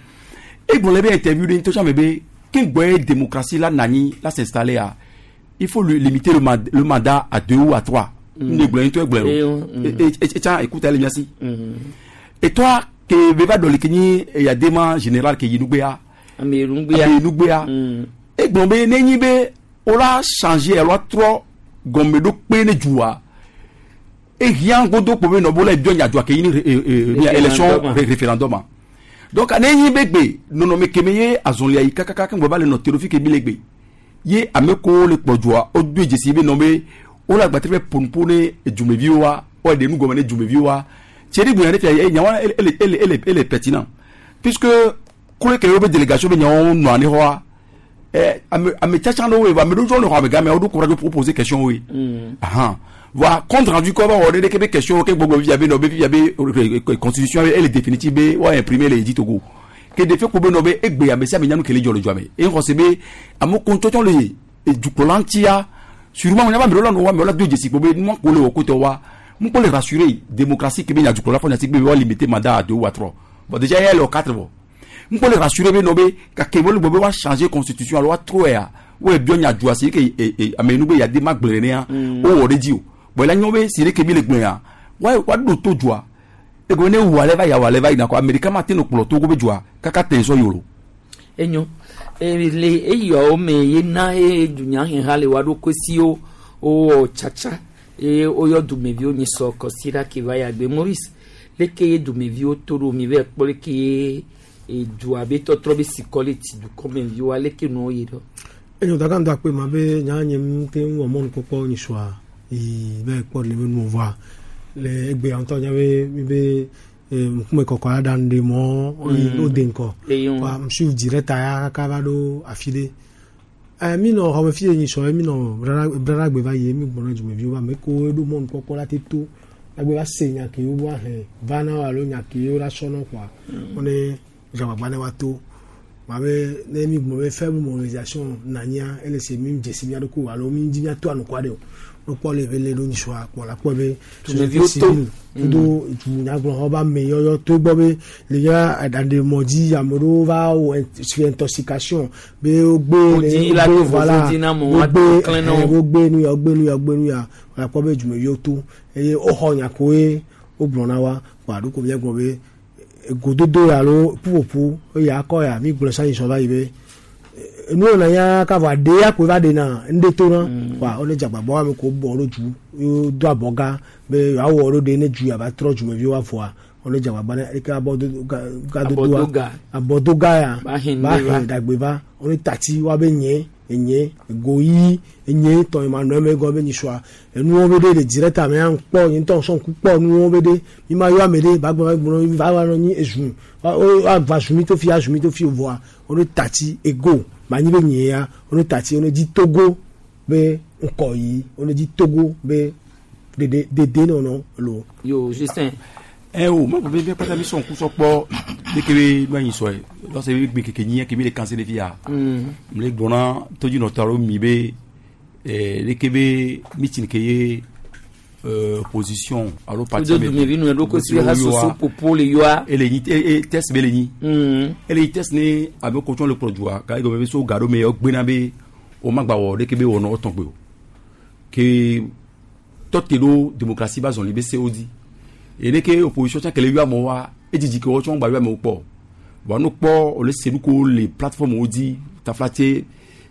Speaker 17: egblɔ le be interview ɖe ŋutɔ tsã me be ke ŋgbɔ ye démocratie la nanyi la s'installer a il faut lui limiter le, mand le mandat à deux ou à trois
Speaker 2: Mm.
Speaker 17: ne gblɔ ŋutɔ egblɔ
Speaker 2: Eh,
Speaker 17: o
Speaker 2: mm.
Speaker 17: e e etsã écoute ele miasi et toi ke be va dɔ le ke nyi eyadema général ke yi nugbea
Speaker 2: Ame nugbea.
Speaker 17: ame nugbea egblɔ be nenyi be wola changer alo atrɔ gɔmeɖokpe ne dua ehiã godo kpo be nɔ bo la ebiɔ nyadzua ke yi ni re- e- e- e- élection
Speaker 2: Référendum.
Speaker 17: ré- référendum a. Donc nenyi be gbe nɔnɔme keme ye azɔlia yi kakaka ke ŋgbɔ va le nɔ te ɖo fi ke bi le gbe ye ame kowo le kpɔ dzoa wodo dzesi be nɔ be wole agbatere be ƒonuƒo ne dzumeviwo wa wɔɖe nu gɔme ne dzumeviwo wa tse ɖi gblɔ ɖe fia ye nyawo ele ele ele ele ele pertinent puisque kule ke wobe délégation be nyawo nɔ ani xɔa ɛ ame ame tsatsa ɖewo ye ame ɖewo tsɔ le xɔ ame game woɖo courage pour poser question wo ye ahan voilà compte rendu kɔ ba wɔ ɖe ɖeke be question ke gbɔgbɔ fifia be nɔ be fifia be eh, eh, constitution ele définitive be wa imprimer le edzi Togo ke de fe ko be nɔ be egbe ame sia ame nyanu kele dzɔ le dzɔa me eye xɔse be ame ko ŋutɔtsɔ le dukplɔla ŋutia sûrement nya ba ame ɖewo la nɔ wa ame ɖewo la do dzesi kpo be nua ko le wɔ kotɔ wa ŋukpɔ le rassurer démocratie ke be nya dukplɔla fɔ nyati be wa limiter mandat à deux ou à trois bon déjà ye le wɔ quatre vɔ ŋukpɔ le rassurer be nɔ be gake wole gbɔ be wa changer constitution alo wa trɔe ya wo ebiɔ nya dua si ke e e ame nu be yade ma gblẽ nenea wowɔ ɖe dzi o bon la nyɔ be si ɖe ke mi le gblẽ ya wa wa ɖo to dua ego ne wu ale va ya wɔ ale va yina kɔ ame ɖeka ma te no kplɔ Togo be dua kaka te sɔ yolo.
Speaker 2: Enyo e le eyawo me ye na ye dunyaheha le wa ɖokui siwo wowɔ tsatsa eye woyɔ dumeviwo nyi sɔ kɔsiɖa ke va yagbe Maurice leke ye dumeviwo to ɖo mi va kpɔ leke ye edua be tɔtrɔ be sikɔ le ti dukɔmeviwoa leke nuwo yi ɖo.
Speaker 23: Enyo daga ŋdɔ akpe ma be nya nye mu te ŋu wɔ mɔnukpɔkpɔ nyisɔa yi be kpɔ le be nuwo vɔa le egbea ŋutɔ nya be mi be eh, ŋkume kɔkɔ la ɖa nu ɖe mɔ
Speaker 2: Mm.
Speaker 23: wo de ŋkɔ
Speaker 2: Eye ŋu.
Speaker 23: wa suiv direct ya kaka va ɖo afi ɖe Eh, mi nɔ xɔme fi ye nyisɔ ye mi nɔ braragbe va yi mi gbɔna dzumeviwo va ame kewo ɖo mɔnukpɔkpɔ la te to la va se nya ke wo va hlẽ va na wo alo nya ke wo la sɔ nɔ kɔa wo ne dzagbagba ne wa to ma be ne mi gblɔ be faible mobilisation nanyia ele se mi dzesi mia ɖokui o alo mi dzi mia to anukua ɖe o no kpɔ le be le ɖo nyisɔa kpɔ la kpɔ be
Speaker 2: Dumeviwo
Speaker 23: société
Speaker 2: to.
Speaker 23: civile kudo dunyagblɔxɔ be ame yɔyɔ to gbɔ be le ya aɖaɖemɔ dzi ame ɖewo va wɔ int- fi intoxication be wogbe
Speaker 2: Wodzi la
Speaker 23: wogbe
Speaker 2: do
Speaker 23: voilà
Speaker 2: vovo dzi na amewo,
Speaker 23: wogbe
Speaker 2: woato klẽ na wo.
Speaker 23: ɛhɛn, wogbe nu ya wogbe nu ya wogbe nu ya wòle kpɔ be dumeviwo to eye woxɔ nya koe wogblɔ na wa kɔ aɖo ko míagblɔ be gododo alo ƒuƒoƒo eye akɔ ya mi gblɔ sanyi sɔ va yi be nu yina ya ka vɔ aɖe ya koe va ɖe na ŋɖe to na wa wo ne dzagbagba ame ko bɔ ɖo dzu ye do abɔga be yewoawɔ ɖo ɖe ne dzu yava trɔ dzumeviwo avɔa wo ne dzagbagba ne eke abɔdo ga gadodoa
Speaker 2: Abɔdoga.
Speaker 23: abɔdoga ya
Speaker 2: Ba hɛn
Speaker 23: ba
Speaker 2: ɖe va.
Speaker 23: hɛn ɖagbe va wo ne tati wa be nye enye egoyi enye tɔ ma nɔ eme gɔ be nyisɔa enuwo be ɖe le direct ame ya kpɔ nye ŋutɔ sɔn ku kpɔ nuwo be ɖe mi ma yɔ ame ɖe ba gblɔ gblɔ va va nɔ nyi ezu wa wo ava zu mi to fi azu mi to fi vɔa wo ne tati ego manyi be nye ya wo ne tati wo ne dzi Togo be ŋkɔ yi wo ne dzi Togo be dede dede nɔnɔ lo.
Speaker 2: Yo Justin.
Speaker 17: ɛ o ma bɛ bɛ pata mi sɔn kusɔ kpɔ ne ke be nu anyi sɔ ye lɔsɛ be gbe keke nyi ke mi le kanse de fi ya
Speaker 2: Mm.
Speaker 17: mi le gbɔna todzi nɔtɔ alo mi be ɛɛ ne ke be meeting ke ye euh, opposition alo parti
Speaker 2: Kudo dumevi nu ɖo kosi ha soso popo le yɔa.
Speaker 17: Ele nyi e e test be le nyi. Ele nyi test ne ame ko tsɔn le kplɔ dua ka egɔme be so ga ɖo me yɔ gbena be o ma gba wɔ ɖeke be wɔnɔ etɔn gbe o ke tɔte ɖo démocratie ba zɔli be sewo di ene ke opposition tsã kele yɔ amewo wa edzidzi ke wɔtsɔ gba yɔ amewo kpɔ wa no kpɔ o le se nu ko le plateforme wo dzi taflatse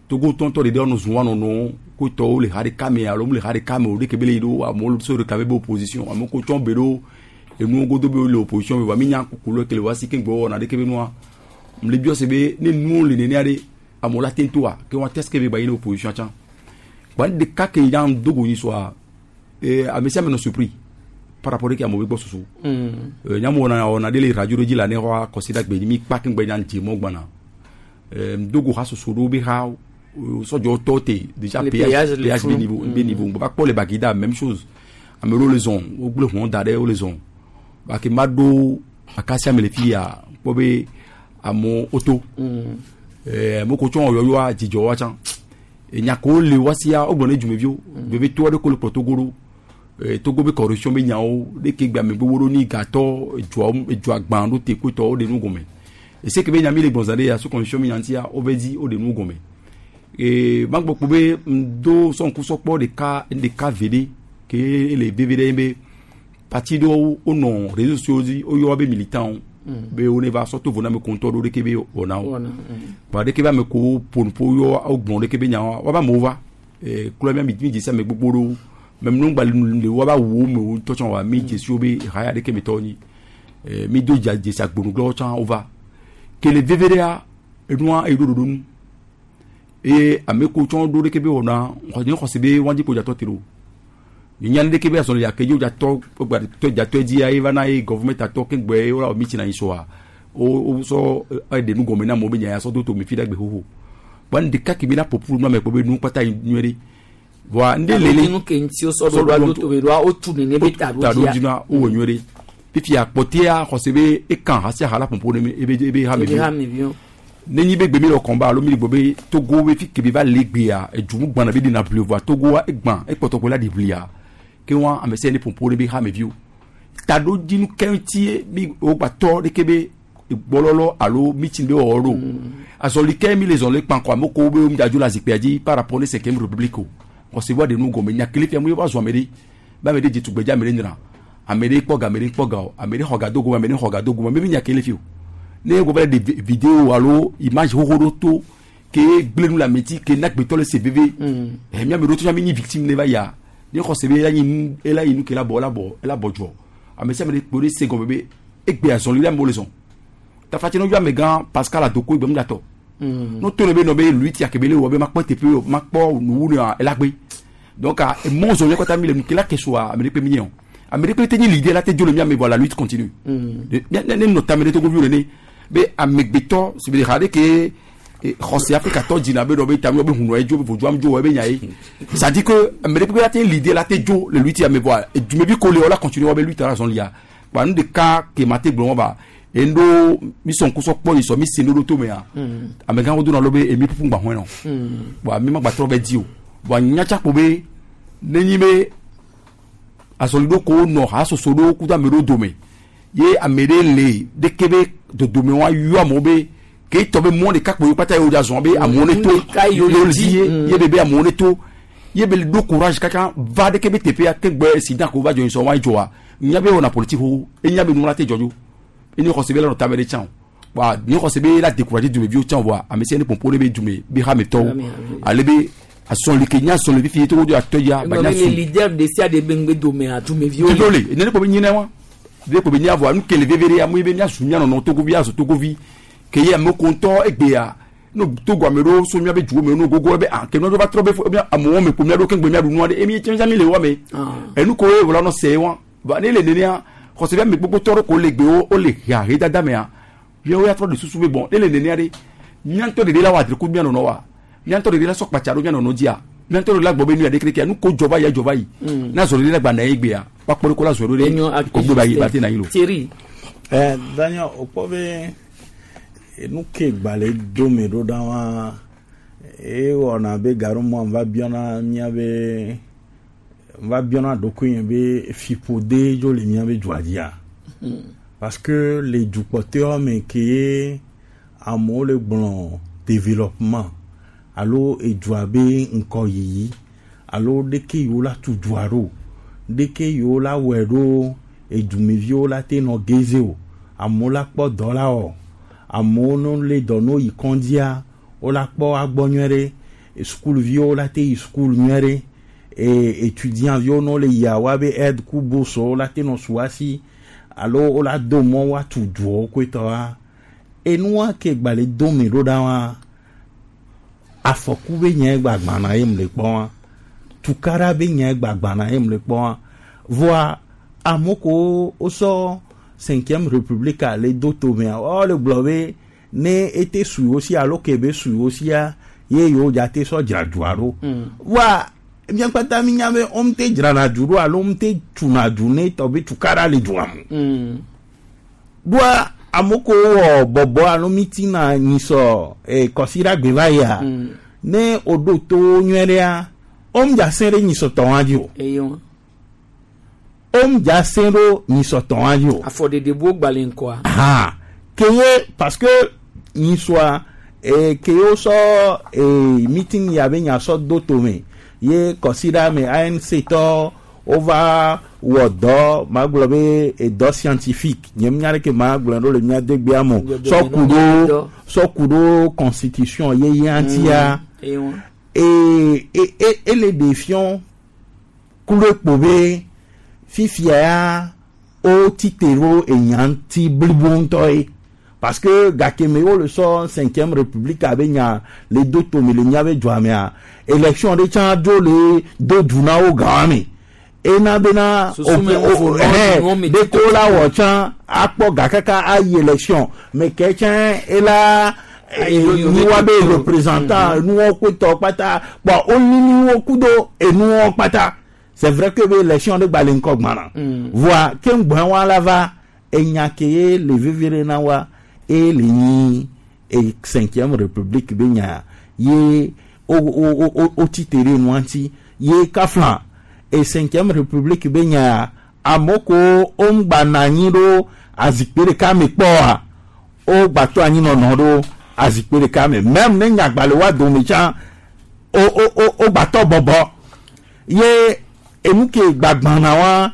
Speaker 17: Togo tɔntɔ de ɖe wɔnɔ zun wanɔnɔ ko tɔwo le ha ɖeka me alo mu le ha ɖeka me o ɖeke be le yi ɖo amewo so ɖeka be be opposition amewo ko tsɔn be ɖo enuwo godo be le opposition me wa mi nya kuku le kele wa si ke ŋgbɛ wɔna ɖeke be nua le biɔ se be ne nuwo le nenea ɖe amewo la te toa ke wa test ke be gba yi ne opposition tsã gba nu ɖeka ke ya dogo nyi soa ee ame sia ame nɔ surpris par rapport ke amewo be gbɔ susu ee nyamu wɔna wɔna ɖe le radio ɖe dzi le ane xɔ kɔsi gbe mi kpa ke ŋgbɛ nya dze mɔ gbana ee dogo ha soso ɖewo be ha sɔdzɔ tɔ te déjà péage péage be niveau be niveau ŋgbɛ va kpɔ le Baguida même chose ame ɖewo le zɔn wo gblẽ hɔn da ɖe wo le zɔn bake ma ɖo akasia me le fi ya kpɔ be amewo woto ɛɛ amewo ko tsɔ yɔyɔa dzidzɔ wa tsã enyako le wa sia wogblɔ ne dzumeviwo veve to aɖe ko le kplɔ Togo ɖo ee Togo be corruption be nyawo ɖeke gbe ame gbogbo ɖo ni gatɔ edzoa edzoa gbã ɖo te kotɔ wo ɖe nu gɔme ese ke be nya mi le gbɔn zã ɖe ya so corruption mi nya ŋutia wo be dzi wo ɖe nu gɔme ee magbɔ kpo be ŋdo sɔnkusɔkpɔ ɖeka ɖeka ve ɖe ke ele veve ɖe be parti ɖewo wonɔ réseaux sociaux dzi woyɔ be militants be wo ne va sɔ to vo na ame ko ŋutɔ ɖo ɖeke be wɔna wo wa ɖeke be ame ko ƒonuƒo yɔ wo gblɔ ɖeke be nyawo woabe amewo va ee klɔ mía mi dze si ame gbogbo ɖewo mɛ nu gba le woabe awuwo me wo ŋutɔ tsã wa mi dze si wo be haya ɖeke me tɔwo nyi ee mi do dza dzesi agbonugblɔwo tsã wova kele veve ɖea enua eyi ɖo ɖoɖo nu eye ame ko tsã ɖo ɖeke be wɔna nye xɔse be wɔn dzi ko dzatɔ te ɖo nyanu ɖeke be azɔli ake dzi dzatɔ tɔ dzatɔ dzi ye va na ye gɔvɔmɛnt atɔ ke gbɛ ye wɔ mi na yi sɔa wo wo sɔ eɖe nu gɔme na amewo be nya ya sɔ do to mi fi ɖe gbe xoxo bɔn ɖeka ke mi la ƒoƒu nu ame kpɔ be nu kpata yi nyuie ɖe voa ŋɖe lele
Speaker 2: nu ke ŋuti wosɔ ɖo ɖo aɖo to be ɖoa wotu nene be ta
Speaker 17: ta ɖo dzi na wowɔ nyuie ɖe fifia kpɔtɛa xɔse be ekan hasi aha la ƒoƒo ne mi ebe ebe hame vi nenyi be gbe mi le kɔnba alo mi le gbɔ be Togo be fi ke be va le gbea edzu gbana be ɖina ʋli voa Togoa egbã ekpɔtɔ ko la ɖi ʋlia ke wa ame sia ne ƒoƒo ɖe be hameviwo taɖodzinu ke ŋutie mi wogba tɔ ɖeke be gbɔlɔlɔ alo meeting be wɔwɔ ɖo azɔli ke mi le zɔn le kpankɔ ame ko be mi dzadzo le azikpea dzi par rapport ne cinquième république o xɔse wa de nu gɔme nyakele fia mu ye va zɔn ame ɖe be ame ɖe dze tugbedze ame ɖe nyra ame ɖe kpɔ ga ame ɖe kpɔ ga o ame ɖe xɔ ga do gome ame ɖe xɔ ga do gome mi nyakele fi o ne ye go va le ɖe vidéo alo image xoxo ɖo to ke gblẽ nu le ame dzi ke na gbetɔ le se veve ɛ mi ame ɖewo tɔ mi nyi victime ne va yia ne xɔse be ela nyi nu ela yi nu ke la bɔ ela bɔ ela bɔ dzɔ ame sia ame ɖe kpo ɖe se gɔme be egbe azɔli ɖe amewo le zɔn tafatse ne yɔ amegã Pascal Adoko egbe ŋudzatɔ no to ne be nɔ be lui tia kebe le wɔ be makpɔ teƒe o makpɔ nuwu ne ela gbe donc emɔ zɔn yɛ kɔta mi le nu ke la ke soa ame ɖe kpe mi nye o ame ɖe kpe te nyi leader la te dzo le mia me vɔ la lutte continue ne ne nɔ tame ɖe Togoviwo nene be amegbetɔ si be ha ɖe ke xɔse Afrikatɔ dzina be dɔ be tami be hunɔ ye dzo be vodzo dzo be nya ye ça dit que ame ɖe kpe la te leader la te dzo le lutte ame vɔa edumevi ko le wɔ la continue wɔ be lutte la zɔn lia kpa nu ɖeka ke ma te gblɔ wɔn ba endo mi sɔn kusɔ kpɔ yi sɔ mi se ɖoɖo to mea amegãwo dona lo be emi ƒuƒu gba hɔn nɔ bɔn ami ma gba trɔ bɛ di o bɔn nyatsakpo be nenyi be azɔli ɖo ko nɔ hasoso ɖo kudo ame ɖewo dome ye ame ɖe le ɖeke be dodome wa yɔ amewo be ke tɔ be mɔ ɖeka kpo yi kpata yi wo dza zɔn be amewo ne to ye le di ye ye be be amewo ne to ye be ɖo courage kaka va ɖeke be teƒea ke gbɛ sida ko va dzɔ sɔn wa dzɔa nya be wɔna politique xoxo enya be nu la te dzɔdzo eni xɔse be la nɔ tame ɖe tsã o wa ni xɔse be la décourager dumeviwo tsã voa ame sia ne pɔnpɔ ɖe be dume be hametɔwo ale be asɔli ke nya sɔli fifi Togo do atɔ ya
Speaker 2: ba nya sɔli. Leader de sia de be ŋgbe dome a dumeviwo
Speaker 17: le. Le nene ko be nyina wa de ko be nya voa nu kele veve ɖe amewo be mia su mia nɔnɔ Togovi azu Togovi ke ye ame ko ŋutɔ egbea no Togo ame ɖewo so mia be duwo me no gogo be ah ke nua ɖo va trɔ be amewo me ko mia ɖo ke ŋgbe mia ɖu nua ɖe emi tsɛtsɛ mi le wa me enu ko ye wòle nɔ se wa ba ne le nenea xɔse be ame gbogbo tɔ ɖe ko le gbewo wo le ha he dada mea yewo ya trɔ de susu be bɔn ne le nenea ɖe mía ŋutɔ ɖeɖe la wɔ adre ko mía nɔnɔ wa mía ŋutɔ ɖeɖe la sɔ kpatsa ɖo mía nɔnɔ dzia mía ŋutɔ ɖeɖe la gbɔ be nu ya ɖe kerekea nu ko dzɔ va yi dzɔ va yi na zɔ ɖeɖe la gba na ye gbea wakpɔ ɖe ko la zɔ ɖo ɖe ko gbe ba yi ba te na yi lo.
Speaker 2: Thierry.
Speaker 12: Ɛ Daniel o kpɔ be nu ke gbalẽ dome ɖo ɖa wa ewɔna be gaɖomɔ va biɔna mía be Va biɔna ɖokuinye be fiƒode dzo le míabe dua dzia. Parce que le dukpɔtɔewo me ke ye amewo le gblɔ développement alo edua be ŋkɔyiyi alo ɖeke yiwo la tu dua ɖo, ɖeke yiwo la wɔe ɖo edumeviwo la te nɔ geze o, amewo la kpɔ dɔ la wɔ, amewo no le dɔ no yi kɔndzia wo la kpɔ agbɔ nyuie ɖe, sukuviwo la te yi sukulu nyuie ɖe, e étudiant viwo no le yia woabe aide ku bourse wo la te nɔ su asi alo wo la do mɔ woatu duawo koetɔa, enua ke gba le do me ɖo ɖa wa, afɔku be nya gbagbana ye mu le kpɔ wa, tukaɖa be nya gbagbana ye mu le kpɔ wa. Voa amewo ko wosɔ cinquième république le do tomea, woawo le gblɔ be ne ete su yewo si alo ke be su yewo sia ye yewo dza te sɔ dzra dua ɖo. Voa mía kpata mi nya be wo te dzrana du ɖo alo wo te tuna du ne tɔ be tukaɖa le dua me. Ɖoa amewo ko wɔ bɔbɔ alo meeting na nyisɔ eh, kɔsiɖagbe va yia, ne woɖo to nyuie ɖea, wo ŋdza sẽ ɖe nyisɔ tɔ hã dzi o.
Speaker 2: Eyo.
Speaker 12: Wo ŋdza sẽ ɖo nyisɔ tɔ hã dzi o.
Speaker 2: Afɔɖeɖe bo gbalẽ ŋkɔa.
Speaker 12: Ha ke ye parce que nyisɔa eh, ke ye wosɔ eh, meeting ya be nya sɔ do tome ye kɔsiɖa me A N C tɔ wova wɔ dɔ magblɔ be edɔ scientifique nye nya ɖeke magblɔ ɖo le mía degbea me o. Sɔ ku ɖo sɔ ku ɖo constitution yeye ŋutia
Speaker 2: Eyo.
Speaker 12: e e e ele ɖe fiɔ ku ɖe kpo be fifia ya wo tite ɖo enya ŋuti blibo ŋutɔ ye, parce que gake me wo le sɔ cinquième république abe nya le do tome le míabe dua mea, élection ɖe tsã dzo le do du na wo gã me ena bena
Speaker 2: Susu me wo vo nɔ, nuwo me
Speaker 12: ɖeko la wɔ tsã akpɔ ga kaka ayi élection me ke tsã ela nuwa be représentant nuwo kpetɔ kpata kpɔ wonini wo kudo enuwo kpata. C'est vrai que be élection ɖe gba le ŋkɔ gbana, voa ke ŋgbɔn wa la va enya ke ye le vevie ɖe na wa e le nyi e cinquième république be nya ye o o o o ti te ɖe nua ŋuti ye kafla e cinquième république be nya amewo ko wo ŋgba na anyi ɖo azikpui ɖeka me kpɔa, wo gba to anyi nɔnɔ ɖo azikpui ɖeka me, même ne nyagba le wa dome tsã o o o wo gba tɔ bɔbɔ ye enu ke gbagbana wa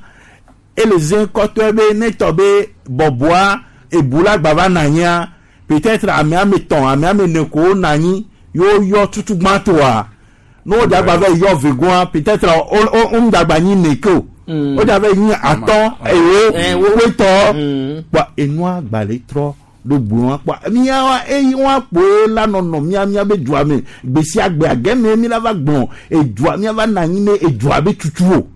Speaker 12: ele ze kɔtɔe be ne tɔ be bɔbɔa ebu la gba va na anyia, peut-être ame ame tɔn, ame ame ene ko na anyi yewo yɔ tutugbãtɔa ne wo dza gba va yɔ vegoa, peut-être wo wo wo ŋdagba nyi neke o, wo dza va nyi atɔ, ewo, wetɔ kpɔ enua gba le trɔ ɖo gblɔ kpɔ míawa eyi wa kpoe la nɔnɔ mía mía be dua me gbe sia gbea gɛmɛ mi la va gblɔ edua mía va na anyi ne edua be tutu o,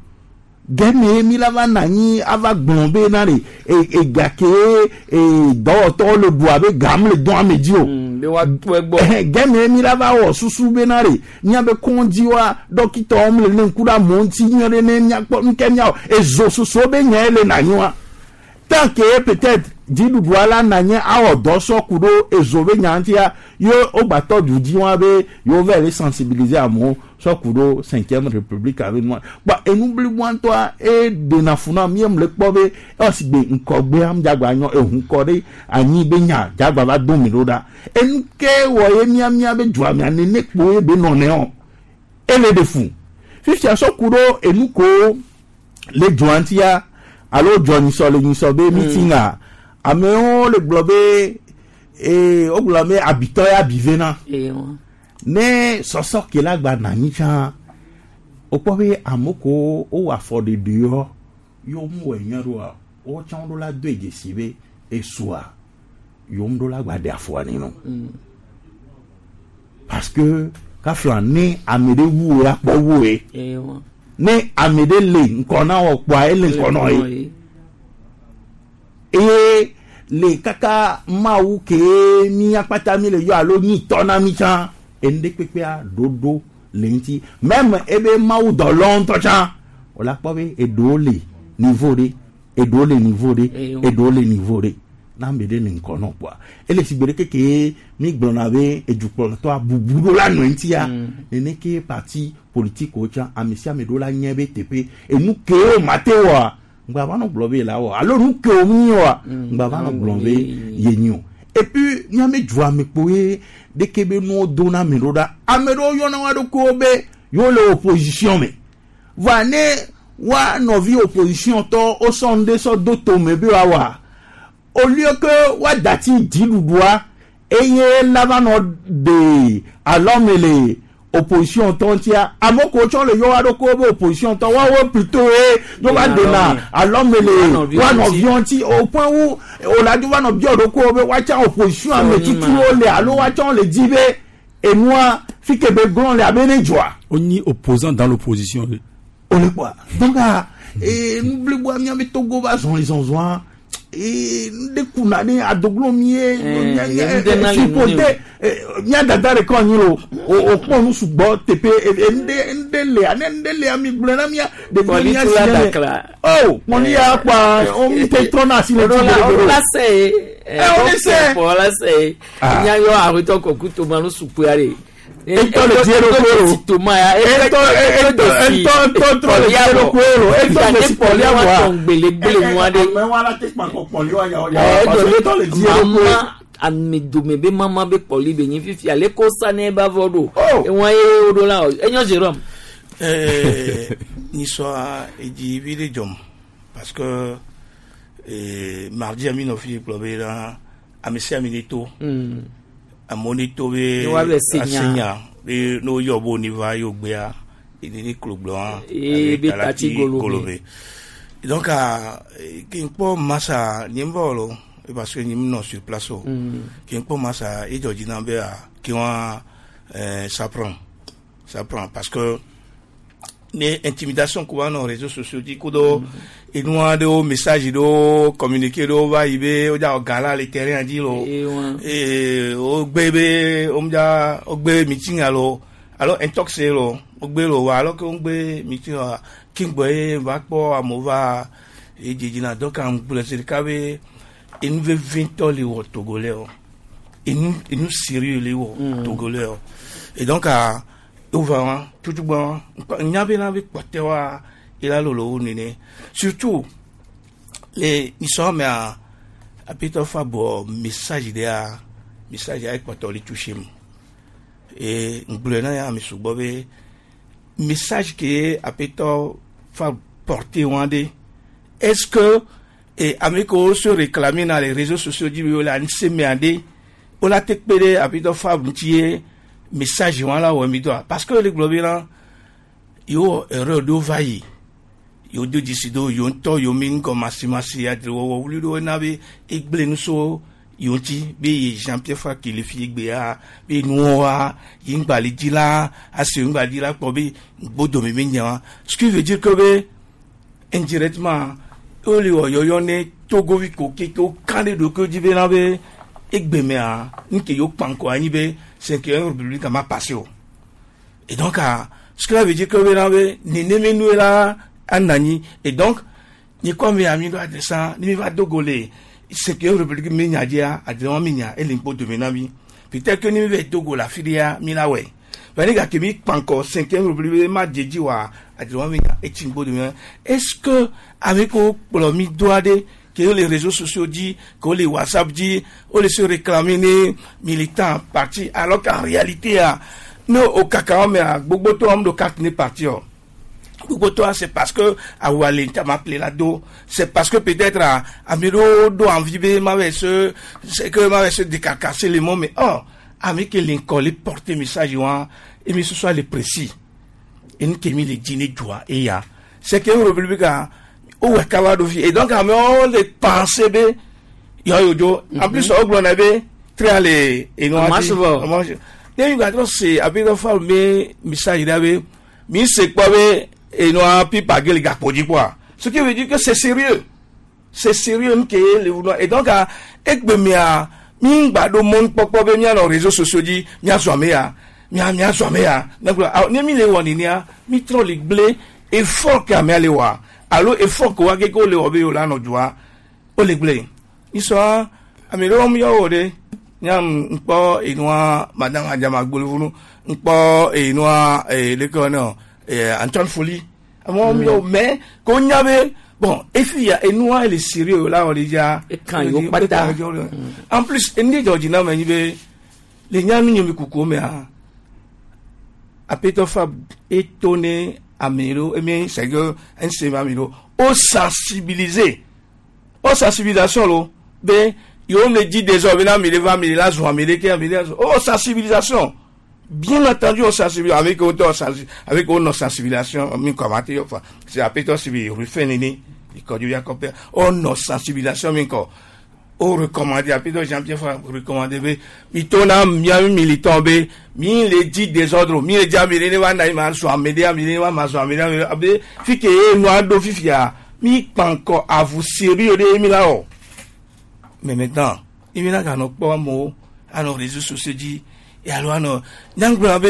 Speaker 12: gɛmɛ mi la va na anyi ava gblɔ be na de ega ke e dɔwɔtɔwo le dua be gam le dɔn ame dzi o.
Speaker 2: Be wa to egbɔ.
Speaker 12: Gɛmɛ mi la va wɔ susu be na de míabe kɔndzi wa dɔkitɔwo le ne ŋku ɖe amewo ŋuti nyuie ɖe ne míakpɔ nuke míawɔ ezo susu be nya le na anyi wa, tant que peut-être dziɖuɖua la na nye awɔ dɔ sɔ ku ɖo ezo be nya ŋutia ye wogbatɔ du dzi wa be yewo va le sensibiliser amewo sɔ ku ɖo cinquième république abe nua kpɔ enu bliboa ŋutɔa e ɖena fu na mi le kpɔ be esi gbe ŋkɔgbea ŋdzagba nyɔ ehu kɔ ɖe anyi be nya dzagba va do mi ɖo ɖa enu ke wɔ ye mía mía be dua mea nene kpo ye be nɔ nɛ o ele ɖe fu fifia sɔ ku ɖo enu ko le dua ŋutia alo dzɔ nyisɔ le nyisɔ be meeting a amewo le gblɔ be ee wogblɔ be abitɔ ya abi vena ne sɔsɔ ke la gba na anyi tsã wokpɔ be ame ko wowɔ afɔɖeɖe yɔ yewo mu wɔ nyuie ɖoa wotsã ɖo la do dzesi be esua yewo ɖo la gba ɖe afɔa ne no, parce que kafla ne ame ɖe wu wo la kpɔ wu ye ne ame ɖe le ŋkɔ na wɔ kpɔa ele ŋkɔ nɔ ye eye le kaka mawu ke mía kpata mi le yɔ alo nyi tɔ na mi tsã enu ɖe kpekpea ɖoɖo le ŋuti même ebe mawu dɔlɔ ŋutɔ tsã wòle akpɔ be eɖewo le niveau ɖe, eɖewo le niveau ɖe, eɖewo le niveau ɖe. Na ame ɖe le ŋkɔ nɔ kpoa ele si gbe ɖe keke mi gblɔna be edukplɔtɔa bubu ɖo la nɔ eŋutia nene ke parti politique wo tsã ame sia ame ɖo la nye be teƒe enu ke wo mate wɔa ŋgba va nɔ gblɔ be la wɔ alo nu ke wo mi wɔa ŋgba va nɔ gblɔ be ye nyi o et puis miame dua me kpo ye ɖeke be nuwo do na ame ɖo ɖa ame ɖewo yɔna wa ɖokuiwo be yewo le opposition me voa ne wa nɔvi opposition tɔ wosɔ nu ɖe sɔ do tome be woawɔa au lieu que wa dati dziɖuɖua eye la va nɔ de alɔme le opposition tɔ ŋutia ame kewo tsɔ le yɔ wa ɖokuiwo be opposition tɔ woawo plutôt ye do va dena alɔme le wa nɔviwo ŋuti au point où o la do va nɔ biɔ ɖokuiwo be woatsã opposition ame tutuwo le alo woatsã le di be enua fi ke be glɔn le abe ne dzɔa.
Speaker 17: On y opposant dans l'opposition.
Speaker 12: O le kpɔa donc ah ee nu bliboa miabe Togo va zɔlizɔzɔa ee nu ɖe kuna ɖe adoglo mi ye supporter mía dada ɖeka anyi lo o o kpɔ nu sugbɔ teƒe nu ɖe nu ɖe lea ne nu ɖe lea mi gblɔe na mía ɖevi mía si ne o kpɔli ya kpɔa o mi te trɔna asi le dzi
Speaker 2: o la se ye
Speaker 12: ɛ o le se
Speaker 2: o la se ye nya yɔ aƒetɔ kɔku toma nu sukua de
Speaker 12: etɔ le die ɖokuiwo lo etɔ etɔ etɔ trɔ le die ɖokuiwo lo etɔ le si kpɔlia voa
Speaker 2: gbelegbele nua ɖe
Speaker 12: amewo la te kpa kɔ kpɔli wa yawo yawo parce que etɔ le die ɖokuiwo.
Speaker 2: Ame dome be mama be kpɔli be nyi fifi ale ko sa ne ba vɔ ɖo ewɔn ye wo ɖo la o enyo Jérôme.
Speaker 1: ɛɛ nisɔa edzi vi ɖe dzɔm parce que ee mardi ami nɔ fi gblɔ be na ame sia ame ne to. Amewo ne to be asenya be ne woyɔ bo ne va yewo gbea ene ne klo gblɔ hã
Speaker 2: Ee, be tati golobe.
Speaker 1: Donc ke ŋkpɔ masa nye ŋbɔ lo parce que nye nɔ sur place o ke ŋkpɔ masa edzɔ dzi na be a ke wa ça prend ça prend parce que ne intimidation ko va nɔ réseaux sociaux dzi kudo enua ɖewo message ɖewo communiqué ɖewo va yi be wodza wɔ gala le terrain dzi lo ee wogbe be womdza wogbe meeting alo alo intox lo wogbe lo wa alo ke wogbe meeting wa kingbɔ ye va kpɔ amewo va edzedzi na donc ŋgblɔ zi ɖeka be enu vevi ŋutɔ le wɔ togolais o enu enu sérieux le wɔ togolais o et donc ah wova wa tutugbɔ nya be na be kpɔtɛ wa ila lolo wo nene surtout le nisɔn mea apetɔ fa bɔ message ɖea message ya ekpɔtɔ le touché mu et ŋgblɔe na ya ame sugbɔ be message ke apetɔ fa porter wa ɖe est-ce que et ame kewo se réclamer na les réseaux sociaux dzi be wole anise mea ɖe wola te kpe ɖe apetɔ fa ŋuti ye message wa la wɔ mi dɔa parce que le gblɔ be na yewo erreur ɖewo va yi yewo do dzesi do yewo ŋutɔ yewo mi ŋgɔmasimasi adrewɔwɔ wuli ɖewo na be egblẽ nu so yewo ŋuti be ye Jean Pierre Faki le fi gbea be nuwoa yi ŋgba le dzi la asi ŋgba dzi la kpɔ be ŋgbodome mi nya wa ce qui veut dire que be indirectement wole wɔ yɔyɔ ne togovi ko keke wo kan ɖe ɖokuiwo dzi be na be egbemea nu ke yewo kpa ŋkɔ anyi be cinquième république ma passé o et donc ah, ce qui veut dire que be na be neneme nue la anɔ anyi et donc nye kɔ mi ami ɖo adressa ne mi va do go le cinquième république mi nya dzia adressa mi nya ele ŋkpɔ dome na mi peut-être que ne mi va do go le afi ɖea mi la wɔe mais ne gake mi kpa ŋkɔ cinquième république ma dze dzi wa adressa mi nya etsi ŋkpɔ dome na est-ce que ame kewo kplɔ mi doa ɖe que les réseaux sociaux dit, que les WhatsApp dit, on les se réclamer les militants partis, alors qu'en réalité, ah, nous, au cacao, mais à Gbogbo, on de carte n'est parti. Gbogbo, c'est parce que, à Walé, m'a appelé là-dedans, c'est parce que peut-être, à, à Miro, do envie, m'avait se, c'est que m'avait se décarcasser les mots, mais oh, avec que l'école porter message, et mais ce soit les précis. Et nous, qui les dîners joie, et ya. C'est que République, o wɛ kaba do fi et donc amewo le penser be yɔ yo dzo en plus o gblɔ na be tri le enua
Speaker 2: dzi
Speaker 1: ne mi gba trɔ se abe dɔ fa mi message ɖa be mi se kpɔ be enua pipa ge le gakpo dzi kpɔa ce qui veut dire que c'est sérieux c'est sérieux nu ke ye le wunɔ et donc egbe mia mi gba ɖo mɔnukpɔkpɔ be mianɔ réseaux sociaux dzi miazɔ ame ya mia miazɔ ame ya ne mi le wɔ nenia mi trɔ le gblẽ effort ke amea le wɔa alo effort ko wa ke ko le wɔ be o la nɔ dzoa o le gblẽ isɔa Ame ɖewo mi yɔ wo ɖe. Nyam ŋkpɔ enua madame Adjama Gbolivunu ŋkpɔ enua ee leke wɔnɛ ee Antoine Foli. Amewo mi yɔ mais ko nya be bon efi ya enua ele sérieux la wɔ déjà.
Speaker 2: Ekan yiwo kpata.
Speaker 1: En plus enu dzɔ dzi na me nyi be le nya nu nye mi kuku mea apetɔ fa étonné ame ɖewo emi c'est que N C M ame ɖewo o sensibiliser o sensibilisation lo be yewo me di désormais na ame ɖe va ame ɖe la zɔn ame ɖe ke ame ɖe la zɔn o sensibilisation, bien entendu, o sensibilisation avec o tɔ sensi avec o nɔ sensibilisation mi kɔ ma te yɔ fa c'est apetɔ si bi rufin nene ikɔdu ya kɔpɛ o nɔ sensibilisation mi kɔ o recommandé apetɔ Jean-Pierre fa recommandé be mi to na mia militant be mi le di désordre mi le di ame ɖe ne va na yi ma zɔn ame ɖe ame ɖe ne va ma zɔn ame ɖe ame ɖe abe fi ke ye nua ɖo fifia mi kpankɔ avu sérieux ɖe mi la wɔ. Mais maintenant i bɛna ka nɔ kpɔ amewo anɔ réseaux sociaux dzi alo anɔ nyagblɔ be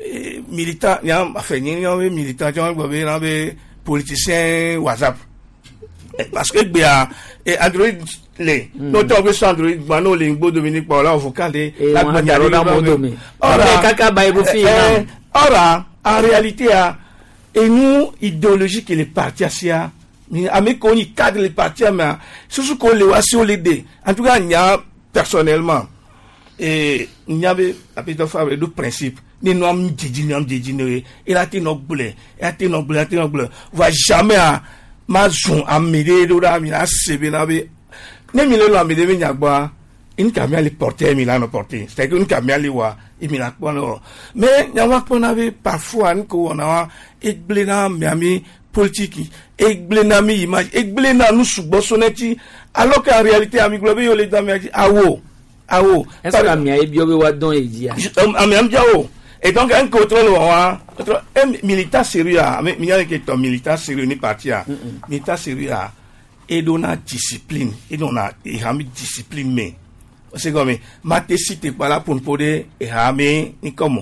Speaker 1: eh, militant nya afɛ nye nya be militant tsɔ gblɔ be na be politicien WhatsApp. Eh, parce que gbea eh, Android le n'o tɔ be sɔ Android gba n'o le ŋgbo domi ni kpɔ la vocal de
Speaker 2: Eh, wọn á dàrú náà mọ́ domi. Ọ̀rẹ́ kaka ba ibu fi
Speaker 1: eh, ɔra en réalité a enu idéologie ke le parti asia mi ame ko nyi cadre le parti mea susu ko le wa si o le de. En tout cas nya personnellement et nya be apetɔ fa be do principe ni nu am dzidzi nu am dzidzi ne ye ela te nɔ gblẽ ela te nɔ gblẽ ela te nɔ gblẽ va jamais a ma zɔn ame ɖe ɖo ɖa mi la se be na be ne mi le lɔ ame ɖe be nyagbɔa une mia le porter mi la nɔ porter, c'est que une mia le wa emi la kpɔ ne wɔ. Mais nyawa kpɔna be parfois nu ko wɔna wa egblẽ na miami politique egblẽ na mi image egblẽ na nu sugbɔ so ne ti alors qu'en réalité ami gblɔ be yewo le do amia dzi awo awo.
Speaker 2: Est-ce que amia ye biɔ be wa dɔn ye dzia?
Speaker 1: Ami am diawo et donc un contrôle wa un militant sérieux a mi nya ke tɔ militant sérieux ni parti a militant sérieux a eɖona discipline eɖona ehami discipline me c'est comme mate cité pas là pour nous poser ehami ni comme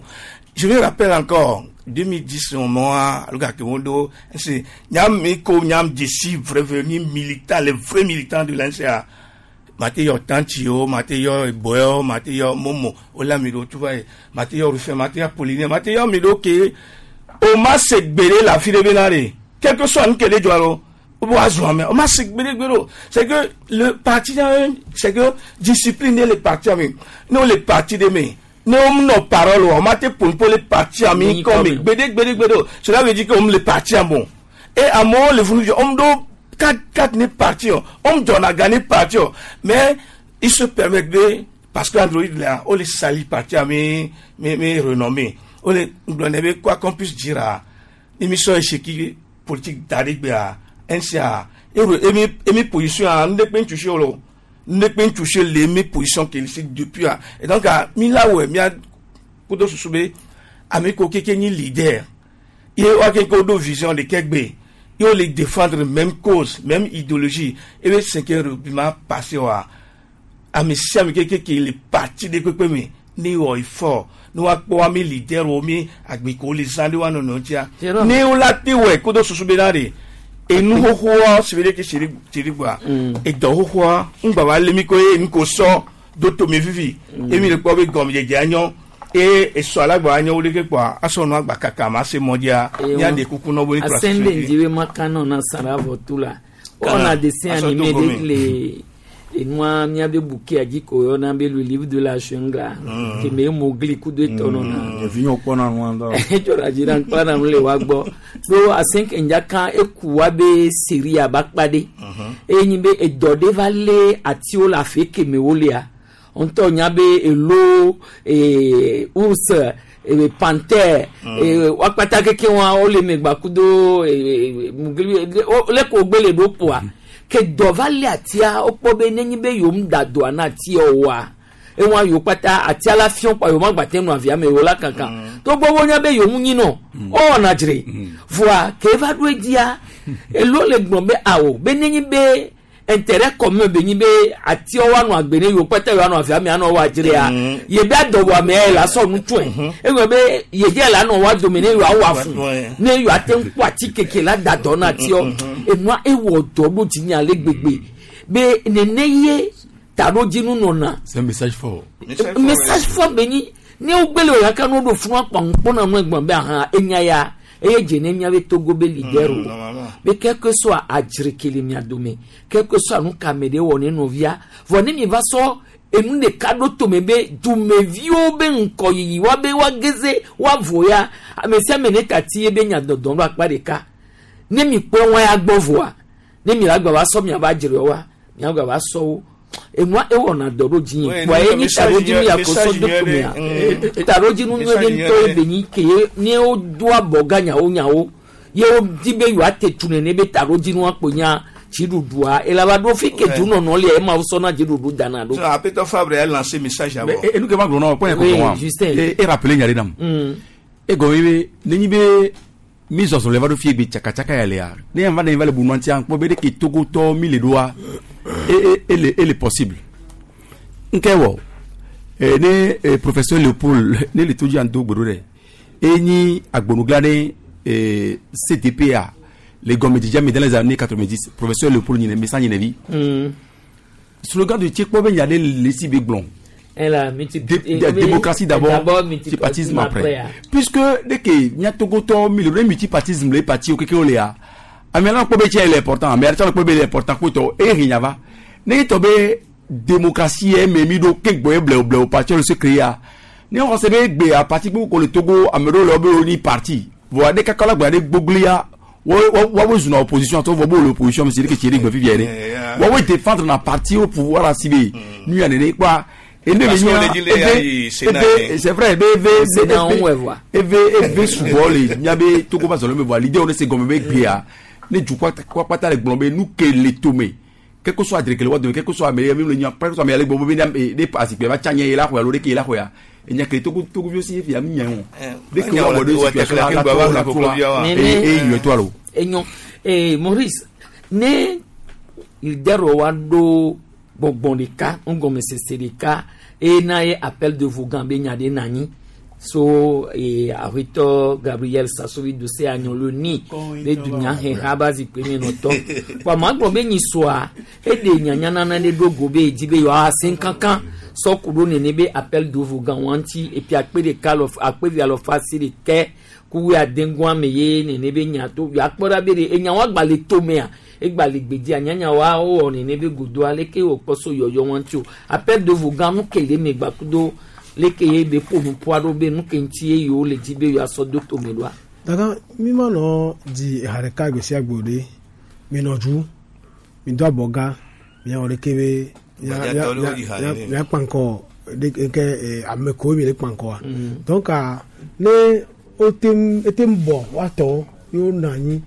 Speaker 1: je me rappelle encore deux mille dix moi le gars que do c'est nyam mi ko nyam d'ici vrai venu militant, les vrais militants de l'N C A mate yɔ tanti o mate yɔ boyo mate yɔ momo ola mi do tu vois mate yɔ rufin mate yɔ polynien mate yɔ mi do ke o ma se gbere la fi de be na de quel que soit nkele jɔ alo o b'a zɔn mɛ o ma se gbere gbere o. C'est que le parti, c'est que discipline le parti ami n'o le parti de me ne o nɔ parole o ma te pon le parti ami comme gbede gbede gbede o. Cela veut dire que o le parti am bon et amewo le funu jɔ o do quatre quatre ne parti o o jɔna gagné parti o mais il se permet de parce que Android là o le sali parti ami mi mi renommé o le gblɔ be quoi qu'on puisse dire a émission échec politique daɖe a N C A emi emi position a n de kpe ntsusi o lo n de kpe ntsusi le emi position ke le depuis a. Et donc a mi la wɔ mia kudo susu be ame ko keke nyi leader ye wa ke ko do vision de ke gbe ye o le défendre même cause, même idéologie e be cinquième république ma passé wa ame sia ame keke ke le parti de kpekpe me ne wɔ effort ne wa kpɔ wa mi leader wo mi agbeko le zã de wa nɔnɔ tia ne wo la te wɔ kudo susu be na de enu xoxoa si be ɖeke tsiri tsiri gbɔa edɔ xoxoa ŋgbà wa lé mi ko ye nu ko sɔ do tome vivi emi le kpɔ be gɔmedzedze anyɔ eye esɔ alagba anyɔ wo ɖeke kpɔa asɔ nua gba kaka ma se mɔdzia mía de kuku nɔ bo ni.
Speaker 2: Asɛn de ŋdi be ma kan nɔ na sara vɔ tu la wɔna dessin animé de le enua míabe bouquet dzi ko yɔna be le livre de la jungle keme Mowgli kudo etɔ nɔna.
Speaker 12: Ɖevi yɔ kpɔna nua ŋutɔ.
Speaker 2: Edzɔna dzi na kpɔna nu le wa gbɔ ɖo asɛn kedza kan eku wa be série aba kpa ɖe eye nyi be edɔ ɖe va lé atiwo le afi keme wo lea ŋutɔ nya be elo ee ours ee panthère ee wakpata keke wa wole megba kudo ee Mowgli leke wogbe le ɖo ƒoa ke dɔ va lé atia wokpɔ be nenye be yewo da dɔa na atia oa ewa yewo kpata atia la fiɔ kpa yewo ma gba te nu avia me yewo la kankan togbɔ wonya be yewo nyi nɔ ɔwɔna dzre voa ke eva ɖo edzia elo le gblɔ be awo be nenye be intérêt commun be nyi be atiwo wa nɔ agbe ne yewo kpata yewo anɔ avia me anɔ wa dzrea ye be adɔwɔame ya la sɔ nu tsɔe egblɔ be ye dze la nɔ wa dome ne yewoa wɔ afu ne yewoa te ŋu kpɔ ati keke la da dɔ na atiwo enua ewɔ dɔ ɖo dzi ale gbegbe be nene ye taɖodzinu nɔna.
Speaker 17: C'est un message fort.
Speaker 2: Message fort be nyi ne wogbele o yaka ne woɖo funu akpɔ ŋkpɔna nu egbɔn be ahan enya ya eye dze ne miabe Togo be leader o be quelque soit adzreke le mia dome, quelque soit nu ka ame ɖe wɔ ne nɔvia vɔ ne mi va sɔ enu ɖeka ɖo tome be dumeviwo be ŋkɔyiyi wa be woageze woavo ya ame sia ame ne tati ye be nya dɔdɔm ɖo akpa ɖeka ne mi kpɔ wɔn ya gbɔ voa ne mi la gba va sɔ mia va dzre wa mia gba va sɔ wo enua ewɔna dɔ ɖo dzi kpɔ ye nyi taɖodzinu ya ko sɔ do tomea taɖodzinu nyuie ɖe ŋutɔ ye be nyi ke ne wodo abɔ gã nyawo nyawo ye wodi be yewoate tu nene be taɖodzinua kpo nya dziɖuɖua elaba ɖo fi ke dunɔnɔ lia ema wosɔna dziɖuɖu dana ɖo.
Speaker 1: Apetɔ Fabre a lancé message d'abord.
Speaker 17: Enu ke ma gblɔ na wo kpɔ yɛ kɔkɔ wa e rappelé nya ɖe nam. E gɔme be nenyi be mi zɔzɔ le va ɖo fie gbe tsakatsaka ya lea ne yan va ne va le bunua ŋutia kpɔ be ɖe ke Togotɔ mi le ɖoa e e ele ele possible. Nke wɔ e ne e, professeur Léopold ne le to dzi ando gbeɖo ɖe e nyi agbonugla ne e C D P A le gɔmedzidze me dans les années quatre-vingt-dix professeur Léopold nyine mesa nyine mm. Slogan de Tchekpo be nya ɖe le si be gblɔ.
Speaker 2: La multi-
Speaker 17: Dé, dé, démocratie d'abord, multipartisme après. après. Puisque dès que nya Togotɔ mi le multipartisme le parti o keke o le ya ame la kpɔ be tse le important ame la kpɔ be le important kpɔtɔ e hinya va ne tɔ be démocratie ye me mi ɖo ke gbɔ ye blewu blewu parti le se créer ya ne xɔ se be gbe a parti gbogbo ko le Togo ame ɖewo le wo be wo ni parti voa ne kaka la gbe ɖe gbogbo ya wo zuna opposition to vɔ bo le opposition mais c'est que tse ɖe gbe fifia ɖe woawoe défendre na parti au pouvoir la si be nu ya nene kpɔa. C'est vrai, eve eve souvent les nyabe Togo ba zolo me voit l'idée on est gomme be gbea ne du quoi quoi pata le glombe nous que les tomé quel que soit adreke le wa de quel que soit mais même le nya quel que soit mais le gbombe be ne passe que va tchanye la ko lo de ke la ko ya nya ke Togo Togo aussi fi am nya on dès que wa de situation la la et et toi lo
Speaker 2: et non et Maurice ne il dero wa do gbɔgbɔn ɖeka ŋgɔmesese ɖeka eye na ye appel de Vogan be nya ɖe nanyi so ee aƒetɔ Gabriel Sasovi Dose anyɔlo ni be dunyaheha ba zikpui me nɔtɔ kpɔ ama gblɔ be nyisɔa eɖe nyanyanana ɖe ɖo go be edzi be yewoa se kankan sɔku ɖo nene be appel de Vogan wa ŋuti epi akpe ɖeka lɔ akpe vi alɔfa asi ɖekɛ kuwe adengoa me ye nene be nya to yeakpɔ ɖa be ɖe enya wa gba le tomea egba le gbedzi anyanya wa wowɔ nene be godoa leke wòkpɔ so yɔyɔ wa ŋuti o appel de Vogan nu ke le me gbakudo leke ye be ƒo nuƒoa ɖo be nu ke ŋuti ye yewo le dzi be yewoasɔ do tome ɖoa.
Speaker 23: Dada mi ma nɔ di eha ɖeka gbe sia gbe ɖe mi nɔ dzu mi do abɔ gã miawɔ ɖeke be miakpa ŋkɔ ɖe ke ame kowo mi le kpa ŋkɔa donc ne wote ete bɔ woatɔ ye wonɔ anyi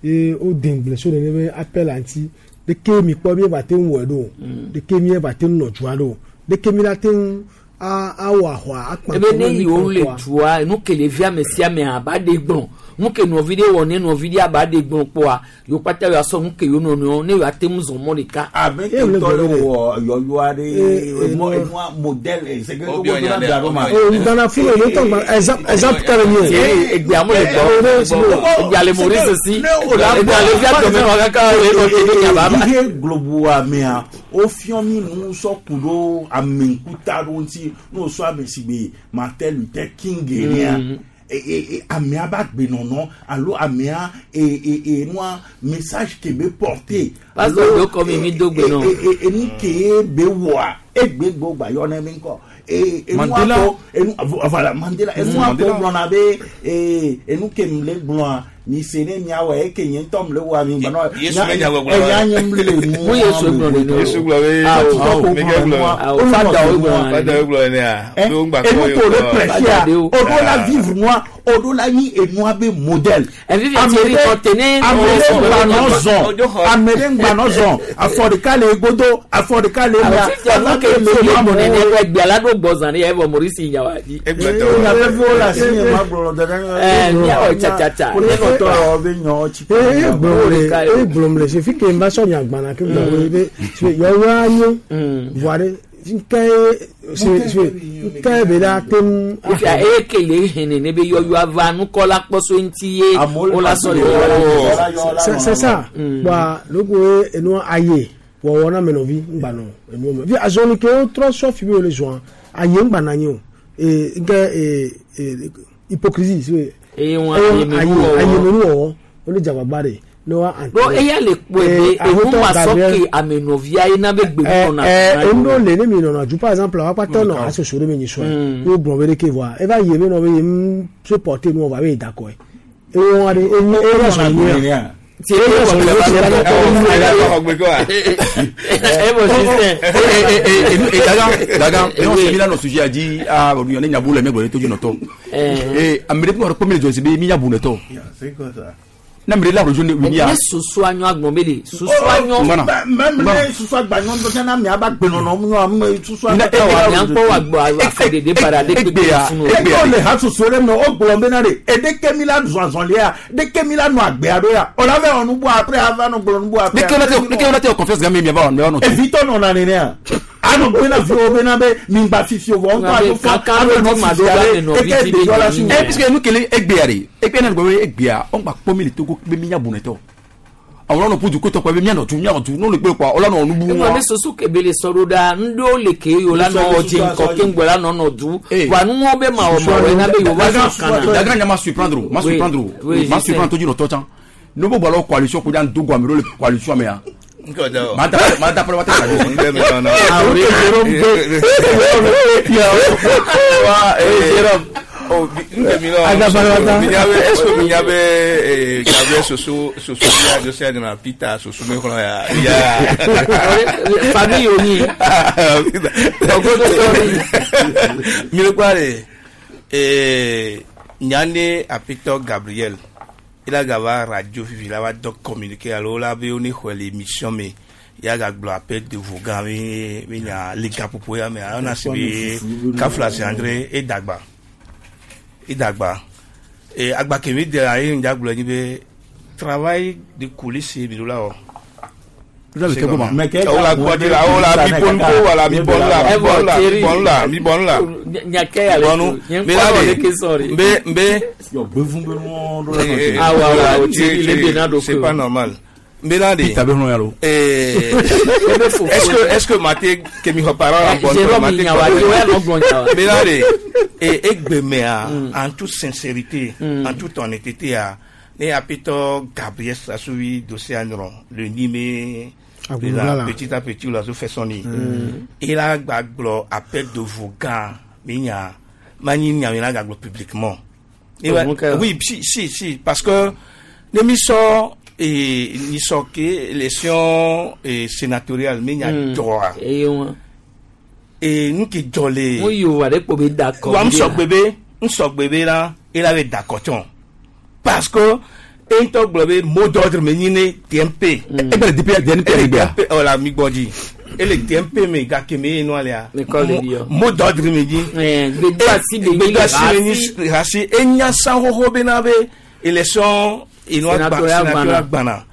Speaker 23: ye wode ŋugble so nene be appel ŋuti ɖeke mi kpɔ mi va te ŋu wɔe ɖo ɖeke mi va te ŋu nɔ dzua ɖo ɖeke mi la te ŋu awɔ ahwa akpa.
Speaker 2: Ebe ne yiwo le dua nu ke le vi ame sia ame aba ɖe gblɔ nu ke nɔvi ɖe wɔ ne nɔvi ɖe aba ɖe gblɔ kpɔa yewo kpata yewoa sɔ nu ke yewo nɔnɔewo ne yewoa te ŋu zɔ mɔ ɖeka.
Speaker 3: Abe ke ŋutɔ le wɔ yɔyɔ aɖe mɔ enua modèle c'est que Togo to na da ɖo ma.
Speaker 23: O Ghana fún mi tɔ gba exemple exemple kɛlɛ mi o.
Speaker 2: Egbea mo le gbɔ egbea le Maurice si egbea le fia dɔmɛ wa kaka le nɔ te ɖe nyaba.
Speaker 3: Ihe globoa mea wofiɔ mi nu sɔ ku ɖo ameŋkuta ɖo ŋuti n'o sɔ ame si be Martin Luther King enea. Amea ba gbenɔnɔ alo amea e nua message ke be porter.
Speaker 2: Pasteur do kɔ mi mi do gbenɔ.
Speaker 3: Enu ke be wɔa egbe gbɔ gba yɔ ne mi ŋkɔ.
Speaker 17: Mandela
Speaker 3: enu voilà Mandela enu akɔ gblɔna be enu ke mi le gblɔa mi se ne miawɔ eke nye ŋutɔ mi le wɔa mi gblɔ eya nye mi le nu.
Speaker 2: Mun Yesu gblɔ ne
Speaker 1: o. Yesu gblɔ be
Speaker 3: awo
Speaker 1: Miguel gblɔ
Speaker 2: fada o gblɔ
Speaker 1: fada o gblɔ ne a.
Speaker 3: Enu ko le prêcher o do la vivre nua o do la nyi enua be modèle.
Speaker 2: Ame ɖe
Speaker 3: ŋgba nɔ zɔn ame ɖe ŋgba nɔ zɔn afɔ ɖeka le godo afɔ ɖeka le mia.
Speaker 2: Fifia ke le yɔ mɔ nene egbea la ɖo gbɔ zan ɖe evɔ Maurice nyawa dzi.
Speaker 3: Nyaveviwo le asi nye ma gblɔ dada.
Speaker 2: Ɛɛ miawɔ tsatsatsa.
Speaker 23: Ee gblɔm le fi ke n ba sɔ nyagbana ke gblɔ be yɔyɔ anyo voa ɖe nke nke be la te ŋu.
Speaker 2: Ifia eye kele hene ne be yɔyɔ ava nukɔla kpɔso ŋuti ye wola sɔ le.
Speaker 23: C'est ça bɔn loko ye enu aye Wɔwɔ na amenɔvi ŋgba nɔ enuwo me. Vi azɔli ke wotrɔ sɔ fi be wole zɔa aye ŋgba na anyi o. Ee nke ee ee hypocrisie si
Speaker 2: Eye wọn ayemenuwɔwɔ.
Speaker 23: Ayemenuwɔwɔ wole dzagbagba de ne wa
Speaker 2: Do eya le kpɔe be enu ma sɔ ke amenɔvia ye na be gbe nɔna.
Speaker 23: Ɛɛ enu le ne mi nɔna ju par exemple awa kpatɔ nɔ asoso ɖe me nyi sɔe wo gblɔ be ɖeke voa eva yi be nɔ be yem supporter nu va be yi dakɔe ewɔ aɖe enyi ewɔ sɔ nyuia.
Speaker 17: Daga, non, c'est là nos sujets a dit ah on est nyabu le mec to jonoto. Eh amere ko ko mi josi be mi nyabu ne to.
Speaker 3: C'est quoi ça?
Speaker 17: Na mere la rojo ne wi ya.
Speaker 2: Ne susu anyɔ agbɔn be le susu anyɔ.
Speaker 3: Même ne susu agbanyɔ ŋutɔ tsɛ na miaba gbenɔnɔ mu ame susu
Speaker 2: Ne miakpɔ wàgbɔ afɔɖeɖe bara ɖe kpekpe funu.
Speaker 3: Egbea le ha susu ɖe me o gblɔ bena ɖe eɖeke mi la zɔn azɔlia ɖeke mi la nɔ agbea ɖo ya o la vɛ wɔ nubu après ava nɔ gblɔ nubu après.
Speaker 17: Ne ke ne ke ne te confiance ga mi mi ba wa no.
Speaker 3: Evitɔ nɔna nenea anɔ gbena viwo bena be mi gba fifi o vɔ ŋutɔ alo fɔ alo nɔ fifi ale eke ɖeviwo la si.
Speaker 17: Eh puisque nous kele egbea de egbea na gbe egbea on gba kpɔ mi le Togo be mi nyabu ne to. Àwọn ọ̀nà pudu kótó pẹ̀lú mianọ̀ tu mianọ̀ tu n'olu gbé pa ọlọ́nà ọ̀nùbù
Speaker 2: wọn. Ewɔ ne soso kebe le sɔɖo ɖa ŋɖewo le ke yio la nɔ ɔdzi ŋkɔ ke ŋgbɛ la nɔ nɔ du wa nuwɔ be ma wɔ ma wɔ ena be yewo va sɔn kana.
Speaker 17: Daga nya ma surprendre o ma surprendre o ma surprendre tó dzi nɔ tɔ tsã n'o bɔ alɔ coalition ko jan dogo ame ɖewo le coalition mea. Ma da ma da fɔlɔ ma tɛ ka do.
Speaker 1: Oh, est-ce que minyabe Gabriel Soso Soso ya José de na Peter Soso me kɔnɔ ya ya
Speaker 2: famille oni
Speaker 1: mi le kura de ee nyande apitɔ Gabriel ila gava radio fifi la va dɔ communiquer alo la be oni xɔ le émission me ya gagblɔ appel de vogan mi mi nya le gaƒoƒo ya me ayɔna si be kafla si André edagba idagba e agba kemi de ayi ŋdza gblɔ nyi be travail de coulisse mi do la wɔ. O la gbɔdzi la o la mi bɔnu ko wala mi bɔnu la mi bɔnu la mi bɔnu la mi bɔnu la. Bɔnu mi la de nbe nbe. C'est pas normal. Nbe la de. Est-ce que est-ce que mate kemi xɔ parole la bɔnu mate nbe la de e egbemea en toute sincérité en toute honnêteté a ne apitɔ Gabriel Sassou dossier anyrɔ le nime petit à petit la fait son nid il a gblɔ appel de vogan mi nya manyi nya mi la gblɔ publiquement oui si si si parce que ne mi sɔ e ni sɔ ke élection sénatoriale mi nya jɔa e nu ke jɔ le.
Speaker 2: mo yi o wa de kpo be dakɔ.
Speaker 1: wa n sɔgbe be n sɔgbe be la e la be dakɔ tsɔn parce que e ŋutɔ gblɔ be mot d'ordre me nyi ne T M P.
Speaker 17: E bɛ le D P D N P yɛrɛ gbɛ
Speaker 1: ya. Ɔ la mi gbɔ dzi e le T M P me gake me ye nua lea. Mot d'ordre me nyi.
Speaker 2: Gbedo asi be nyi
Speaker 1: le hasi. Hasi e nya san xoxo bena be élection enua gba sénatorial gbana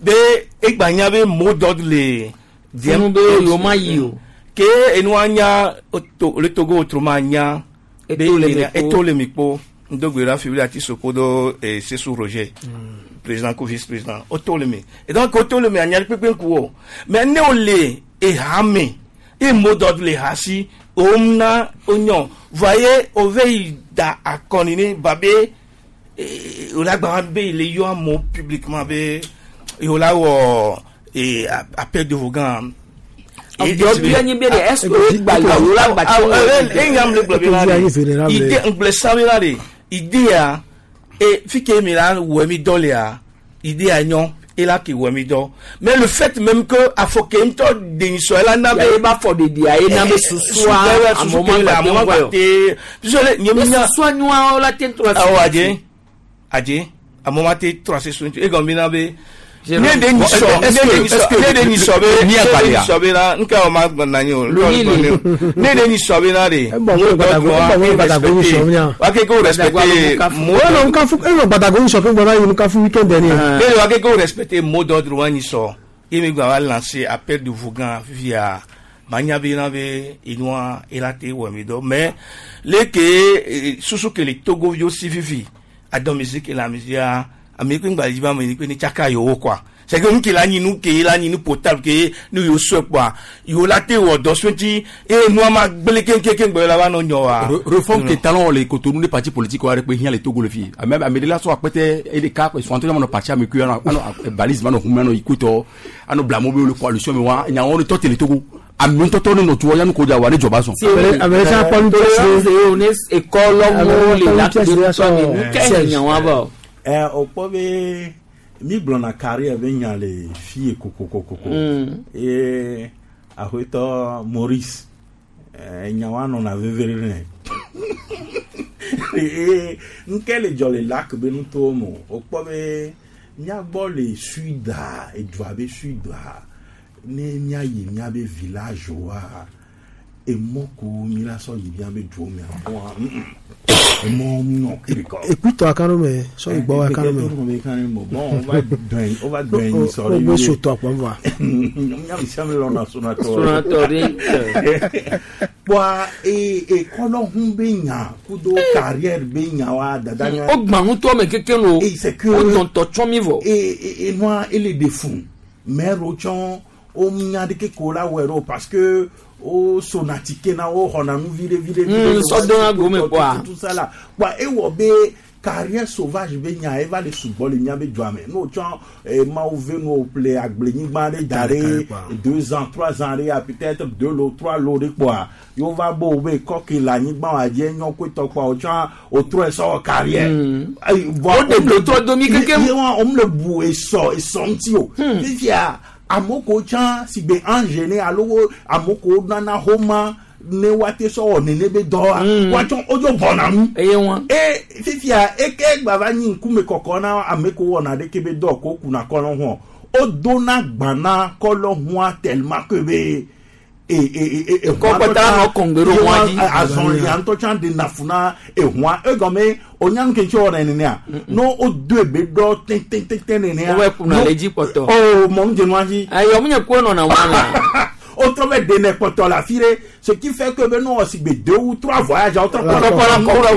Speaker 1: be e gba nya be mot d'ordre le.
Speaker 2: Funu be yoma ma yi o.
Speaker 1: Ke enua nya le Togo autrement nya. Eto le mi kpo. Ndogbe fi ati sokodo et Sessou Roger président ko vice président otolemi et donc otolemi anya pepe nkuo mais ne ole e hame e mot d'ordre le hasi omna onyon voyez ove da akonine babé ola gba be le yo amo publiquement be yola wo et appel de vogan
Speaker 2: est-ce que gba la
Speaker 1: e nyam le gblɔ be la de ide ŋgblẽ sabe la de idea e fi ke mi la wɔ mi dɔ lea idea nyɔ e la ke wɔ mi dɔ mais le fait même que afɔ ke ŋutɔ denisɔ la na be
Speaker 2: e b'a fɔ de dia e na be susua
Speaker 1: amewo ma gba te puisque nye mi nya
Speaker 2: susua nyua la te trɔ
Speaker 1: awɔ adze adze amewo ma te trɔ ase sun e gɔn mi na be ne de nyisɔ ne de nyisɔ be ne de nyisɔ be la nka o ma na ye o ne de nyisɔ be la de wa ke ko respecter
Speaker 23: mot d'ordre
Speaker 1: ne de wa ke ko respecter mot d'ordre wa nyisɔ e mi gba wa lancer appel de vogan via manya be na be inua elate wɔ mi dɔ mais le ke susu ke le Togo yo si fifi a dɔn musique la musique ame kpe ŋgba dzi ba me kpe ne tsaka yewo quoi C'est que nu ke la nyi nu ke la nyi nu potable ke nu yo sɔe kpoa yo la te wɔ dɔ sɔe ŋuti eye nua ma gblẽ keŋkeŋ gbɛ la va nɔ nyɔ wa.
Speaker 17: Réforme ke talon le Cotonou ne parti politique wa ɖe kpe hiã le Togo le fi ame ame ɖe la sɔ akpɛtɛ e ɖeka sɔntɔ ɲɔgɔn parti ame kui anɔ anɔ balise ma nɔ hunmɛ anɔ ikutɔ anɔ blamɔ be le coalition me wa nyawo ne tɔ te le Togo ame ŋutɔtɔ ne nɔ tuwɔ yanu ko dza wa ne dzɔba sɔn.
Speaker 2: Tolérance ne école wo le la nu kɛ nyawa bɔ.
Speaker 3: Ɛ o kpɔ be mi gblɔna carrière be nya le fie kokokokoko eye aƒetɔ Maurice nyawa nɔna veve nɛ eye ŋke le dzɔ le lac be nutowo me o kpɔ be míagbɔ le suda edua be suda ne míayi míabe village wa emɔ ko mi la sɔ yi míabe duwo mea bɔa emɔ nɔ kirikɔ.
Speaker 23: Ekuitɔ akano me sɔ igbɔ akano me.
Speaker 3: Bon, on va dɔn on va dɔn yi sɔrɔ
Speaker 23: O bɛ sotɔ akpɔ nfa.
Speaker 3: Míabe sia mi lɔna sonatɔ.
Speaker 2: Sonatɔ de.
Speaker 3: Bɔn ee ekɔlɔhun bɛ nya kudo carrière bɛ nya wa dada nya.
Speaker 2: O gbɔn ŋutɔ me keke lo. O dɔntɔ tsɔ mi vɔ.
Speaker 3: Ee enua ele de fun maire wo tsɔn o nya ɖeke ko la wɛ ɖo parce que o sonatike na wo xɔna nu viɖe viɖe viɖe.
Speaker 2: Sɔdɔn gome kɔa.
Speaker 3: Tout ça la bɔn ewɔ be carrière sauvage be nya eva le sugbɔ le miabe dua me n'o tsɔ eh, mawu ve nu ƒle agblenyigba ɖe da ɖe deux ans trois ans ɖe ya peut-être deux lots trois lots ɖe kpoa yewo va bo wo be kɔke le anyigba wa dzi enyɔ koetɔ kpoa wotsɔ wotrɔe sɔ wɔ carrière.
Speaker 2: O de dotrɔ domi keke.
Speaker 3: Ye wa wòm le bu esɔ esɔ ŋuti o. Fifia amewo ko tsã si gbe ange ne alo wo amewo ko nana xɔma ne woate sɔ wɔ nene be dɔ wa woatsɔ wodzo bɔna nu.
Speaker 2: Eye wa.
Speaker 3: E fifia eke gba va nyi ŋkume kɔkɔ na ame ko wɔna ɖeke be dɔ ko kuna kɔlɔ hɔn o dona gbana kɔlɔ hɔn tellement que be e e e e
Speaker 2: Kɔkɔta nɔ kɔngbero hɔn dzi.
Speaker 3: Azɔlia ŋutɔ tsã de nafuna ehɔn egɔme o nyanu ke ŋtsi wɔna nenea no o do ebe dɔ tɛntɛntɛntɛn nenea.
Speaker 2: O bɛ kunna le dzi kpɔtɔ.
Speaker 3: O mɔnu dze nua dzi.
Speaker 2: Ayi ɔmu nye ko nɔna wɔn la.
Speaker 3: O trɔ bɛ dene kpɔtɔ le afi ɖe ce qui fait que be no si gbe deux ou trois voyages o trɔ
Speaker 2: kpɔtɔ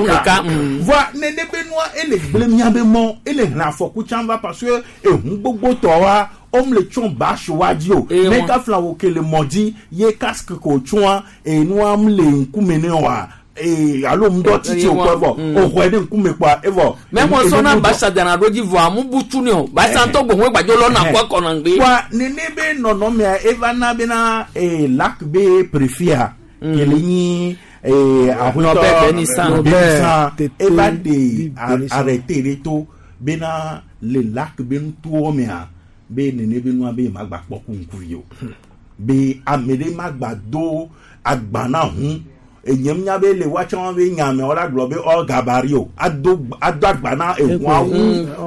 Speaker 2: ɖeka.
Speaker 3: Voa nene be nua ele gblẽ miabe mɔ ele hlẽ afɔku tsã va parce que ehun gbogbo tɔ wa om le tsɔn bâche wa dzi o ne kafla wo ke le mɔ dzi ye casque ko tsɔa enua m le ŋkume ne wa ee alo ŋdɔ titi o kɔ evɔ o xɔe ɖe ŋkume kpoa evɔ.
Speaker 2: Mɛ mɔ sɔnna basa dana ɖo dzi vɔ amu butu ni o basa ŋutɔ gbɔn gbadzo lɔ na kɔ kɔnɔ ŋgbe.
Speaker 3: Wa nene be nɔnɔmea eva na bena ee lac be préfet kele nyi ee
Speaker 2: Norbert Benisan.
Speaker 3: Benisan eva de arrêté ɖe to bena le lac be nutowo mea be nene be nua be ma gba kpɔ ku ŋkuvi o be ame ɖe ma gba do agba na hu enyem nya be le watsɔ be nyame wala gblɔ be ɔ gabari o ado ado agba na ehuawu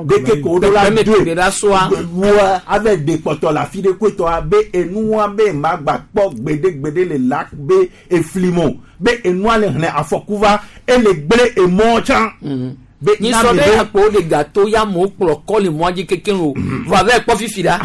Speaker 3: ɖeke ko ɖo la
Speaker 2: do
Speaker 3: wa ave de kpɔtɔ le afi ɖe koetɔa be enua be ma gba kpɔ gbeɖegbeɖe le lac be eflimo be enua le hlẽ afɔku va ele gblẽ emɔ tsã.
Speaker 2: Be nyisɔ be akpo de gâteau ya mo kplɔ kɔ le mɔa dzi keke o vɔ ave kpɔ fifi la.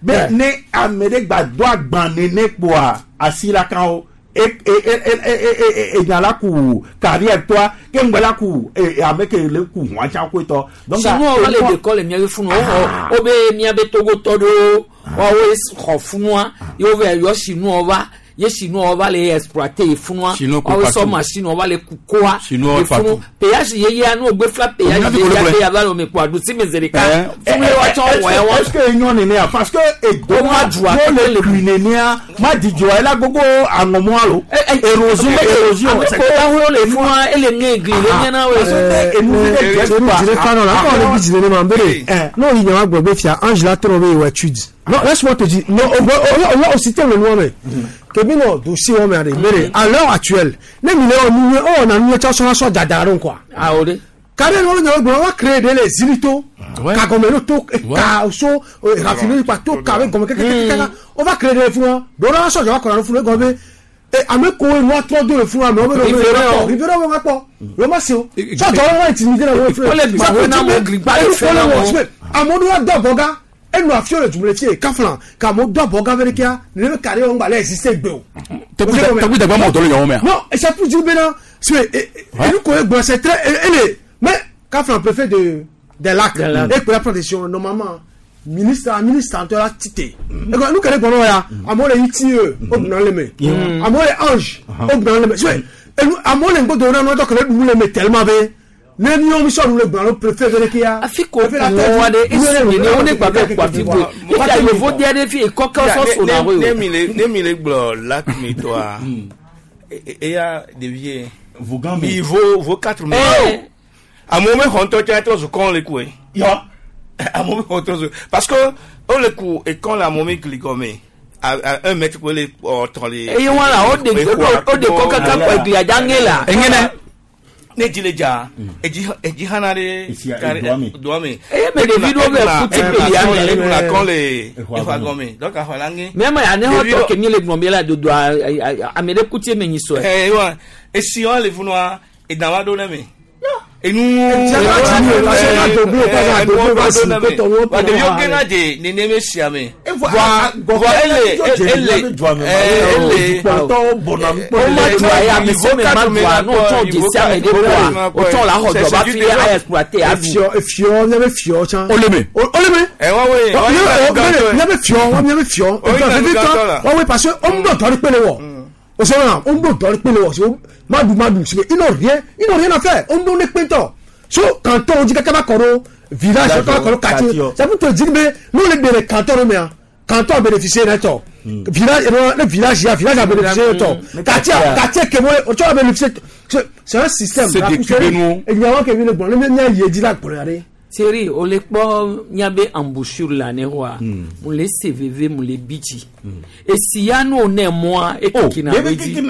Speaker 3: Be ne ame ɖe gba do agba nene kpoa asi la kan o. E e e e nya la ku carrière toi ke ŋgbɛ la ku e ame ke le ku hɔn tsã koetɔ.
Speaker 2: Donc sinon o le de kɔ le miabe funu o o be miabe togotɔ ɖewo woawoe xɔ funua ye wo va yɔ sinua va ye sinua va le exploiter funua woawoe sɔ machine va le kukoa efunu péage yeyea n'o gbe fila péage yeyea ke yava le ome kpo aɖusi me zi ɖeka funu ye woatsɔ wɔ ya wa.
Speaker 3: Est-ce que enyɔ nenea parce que edo ma dua le kui nenea ma dzidzɔ ela gbogbo aŋɔmɔ alo érosion érosion.
Speaker 2: Ame ko awo le funua ele ŋe gli le miana wo.
Speaker 23: Dire kanɔ la akɔ le bi dzi nenema bere n'o yi nya wa gblɔ be fia Angela trɔ be yewɔ étude non laisse-moi te dire non o o o système le nua me kebi nɔ dossier wɔme aɖe bere à l'heure actuelle ne mi le wɔ nu ye o wɔna nu ye tsɔ sɔna sɔ dada ɖo quoi.
Speaker 2: Awo de.
Speaker 23: Kare ní wọn yàn gbọ́n wọn créé de le zilito ka gɔmɛ no to ka so raffinerie kpa to ka bɛ gɔmɛ kɛkɛkɛkɛ o va créé de le fún wa dɔwɔrɔ sɔjɔ wa kɔnɔ fún gɔmɛ e ame ko nu atrɔ do le fún wa mɛ o bɛ nɔ rivera wo ŋa kpɔ o ma se o sɔjɔ wa intimidé na wo fún
Speaker 2: o le gbàgbé na mo gligba le fún wa
Speaker 23: amewo do wa dɔ bɔga enu afiwo le dumuni fie kaflan k'amewo do abɔga fɛnɛ kia nene be carré wo ŋgba le existe gbe o.
Speaker 17: Tɛgbi dagba mɔ dɔ le ɲɔgɔn mɛ.
Speaker 23: Non c'est pour dire bena enu ko ye gbɔ c'est très ele mais kaflan préfet de des lacs et pour la protection normalement Ministre ministre ŋutɔ la tite. Ego nu ke ɖe gbɔnɔ ya amewo le I T E wo gbɔna le me. Amewo le ange wo gbɔna le me. So enu amewo le ŋgbodo na nɔtɔ ke le ɖu le me tellement be ne míawo mi sɔ nu le gbɔna lo préfet be ɖeke ya.
Speaker 2: Afi ko kunu wa ɖe esi nene wo ne gba be kpa fi ko efi ayevo di aɖe fi ekɔkɛ sɔ so na wo
Speaker 1: Ne mi le ne mi le gblɔ lac mi tɔa eya ɖevie.
Speaker 3: Vogan
Speaker 1: mi. Vo vo quatre mille. Amewo me xɔ ŋutɔ tsa trɔ zu kɔn le koe.
Speaker 3: Yɔ.
Speaker 1: Amewo me xɔ trɔ zu parce que wo le ku ekɔn le amewo me gli gɔme à à un mètre ko le ɔtɔ le.
Speaker 2: Eye wọn la o de o de kɔ kaka kɔ eglia dza ŋe la.
Speaker 1: Eŋene. Ne dzi le dza edzi edzi hana ɖe doa me.
Speaker 2: Eye me ɖevi ɖewo be kuti pelia
Speaker 1: me. Eɖuna kɔn le exɔa gɔme donc axɔ la ŋe.
Speaker 2: Mɛ ma ya ne xɔ tɔ ke mi le gblɔm bi la dodo ame ɖe kuti me nyi sɔe.
Speaker 1: Ɛ wa esi wa le funua edama ɖo ne me. Enu ɖeviwo gena dze neneme sia me. Voa voa ele ele ele
Speaker 2: o ma dua ya ame se me ma dua n'o tsɔ dzesi ame ɖe kɔa o tsɔ la xɔ dɔ ba fi a exploiter aɖu.
Speaker 23: Efiɔ efiɔ miabe fiɔ tsã.
Speaker 17: O le me.
Speaker 23: O le me.
Speaker 1: Ɛ wa wo ye.
Speaker 23: Miabe fiɔ wa miabe fiɔ. Vevitɔ wa wo parce que o ŋu dɔ kpe le wɔ. O sɔ na o ŋu dɔ kpe le wɔ so madu madu parce que ils n'ont rien ils n'ont rien à faire o ŋu ne kpe tɔ so canton dzi kaka va kɔ ɖo village kaka va kɔ ɖo quartier ça veut te dire be n'o le de le canton ɖo mea canton a bénéficié ne tɔ village ne village ya village a bénéficié ne tɔ quartier quartier kemo o tsɔ a bénéficié c'est un système.
Speaker 17: C'est décupé nu.
Speaker 23: Enyawo ke mi le gbɔn ne mi ye dzi la gblɔ ya ɖe.
Speaker 2: Thierry o le kpɔ miabe embouchure la ne xɔa mo le se veve mo le bi dzi esi ya no ne mɔa ekekina be dzi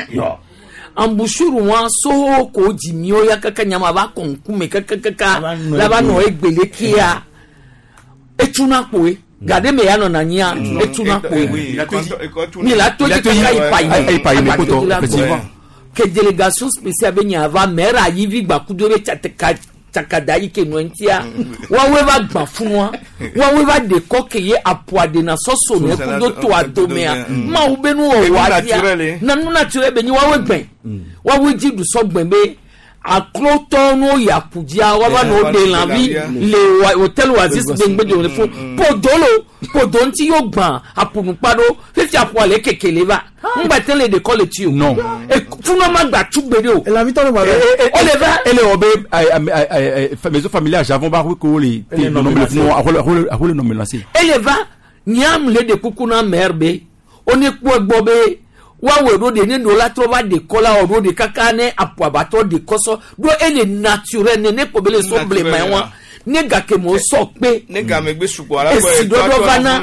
Speaker 2: embouchure wa so ko dzi miwo ya kaka nyama va kɔ ŋkume kakakaka la va nɔ egbele kia etsuna kpoe gade me ya nɔna anyia etsuna kpoe mi la to dzi kaka yi pa yi ke délégation spéciale be nya va maire ayivi gbakudo be tsateka tsakada yi ke nɔ ŋutia woawoe va gbã funua woawoe va de kɔ ke ye aƒua de na sɔsɔ ne kudo to adomea mawu be nuwɔwɔ adia na nu naturel be nyi woawoe gbɛ woawoe dzi du sɔ gbɛ be aklotɔ n'o yakudzia woava nɔ wo de lãvi le hôtel Oasis be ŋgbe le fo podolo podo ŋuti yio gbã aƒunukpa ɖo fifi aƒua le keke le va ŋgba te le dekɔ le tsi o
Speaker 17: non
Speaker 2: funua ma gba tugbe de o
Speaker 23: elavi tɔ ne gba
Speaker 2: o le va
Speaker 17: ele wɔ be maison familiale javon ba ko le te nɔnɔme le funu ahole nɔnɔme lase
Speaker 2: ele va nyam le de kuku na maire be o ne kpɔ egbɔ be woawɔe ɖo de ne no la trɔ va dekɔ la wɔ ɖo de kaka ne aƒuabatɔ dekɔ sɔ ɖo ele naturel ne ne kpɔ be le so blema ye wa ne gake mo sɔ kpe
Speaker 1: ne game gbe sugbɔ ala
Speaker 2: esi ɖɔɖɔ va na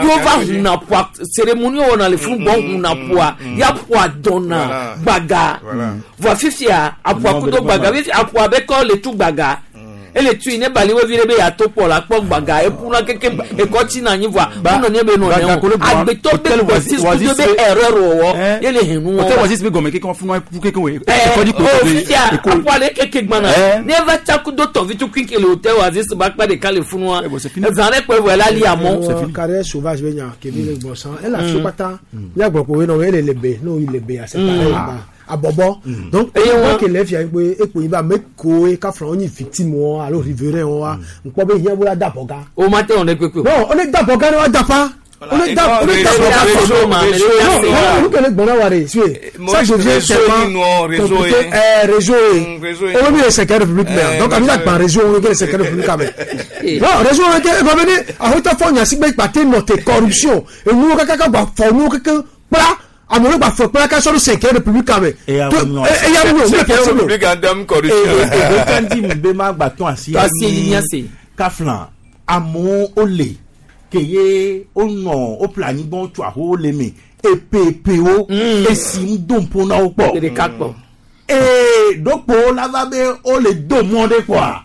Speaker 2: yóò va hunna ƒua cérémonie wɔna le funu gbɔ hunna ƒua ya ƒua dɔnna gbaga voa fifia aƒua kudo gbaga fifia aƒua bɛ kɔ le tu gbaga ele tui ne bali wo vi ɖe be yeato kpɔ la kpɔ gbaga ekuna keke ekɔ tsi na anyi voa kunɔ ne be nɔ ne o agbetɔ be kpɔsi kudo be erreur wɔwɔ ye le henu
Speaker 17: hôtel
Speaker 2: wɔwɔ
Speaker 17: Oasis be gɔmɛ keke funu fu keke wo
Speaker 2: ɛ o fifia aƒua le keke gbana ne va tsakudo tɔvi tukui ke le hôtel Oasis ba kpa ɖeka le funua ezã ɖe kpɔ evɔ la li amɔ.
Speaker 23: Carrière sauvage be nya kebi le gbɔ san ele afi kpata miagbɔ ko nɔ ele le be n'o yi le be c'est pareil ba abɔbɔ donc eye wọn kele fia pe ekpo yi ba ame koe kafra wọn nyi victime wọn alo riverain wọn wa nkpɔ be hiã bo la da bɔ gan.
Speaker 2: O ma tẹ wọn lẹ kpekpe o.
Speaker 23: Non, on est da bɔ gan ne wa da pa on est da on est da bɔ gan
Speaker 1: réseau,
Speaker 23: non
Speaker 1: réseau,
Speaker 23: non olu kele gbɔnna wa de suye ça je viens
Speaker 1: réseau
Speaker 23: tellement
Speaker 1: réseau
Speaker 23: compliqué ɛɛ réseau
Speaker 1: réseau
Speaker 23: ye o bɛ mi cinquième république mɛ donc a bɛ na gban réseau o bɛ kɛ cinquième république mɛ non réseau o bɛ kɛ eba bɛ ne ahotɔ fɔ ɲasigbe kpate nɔte corruption enuwo kaka ka gba fɔ nuwo keke kpla amewo gba fɔ kpla ka sɔrɔ cinquième république mɛ
Speaker 3: Eya
Speaker 23: to
Speaker 3: ŋu nyɔ.
Speaker 23: eya ŋu nyɔ
Speaker 1: Cinquième république en termes corruption.
Speaker 3: Ee kandi mi be ma gba tɔn asi.
Speaker 2: Asi yi ase.
Speaker 3: Kafla amewo wole ke ye wonɔ woƒle anyigba tso aho le me epepewo esi ŋu do ŋpo na wo kpɔ.
Speaker 2: Ɖeka kpɔ.
Speaker 3: Ee ɖokpo la va be wole do mɔ ɖe kpɔa.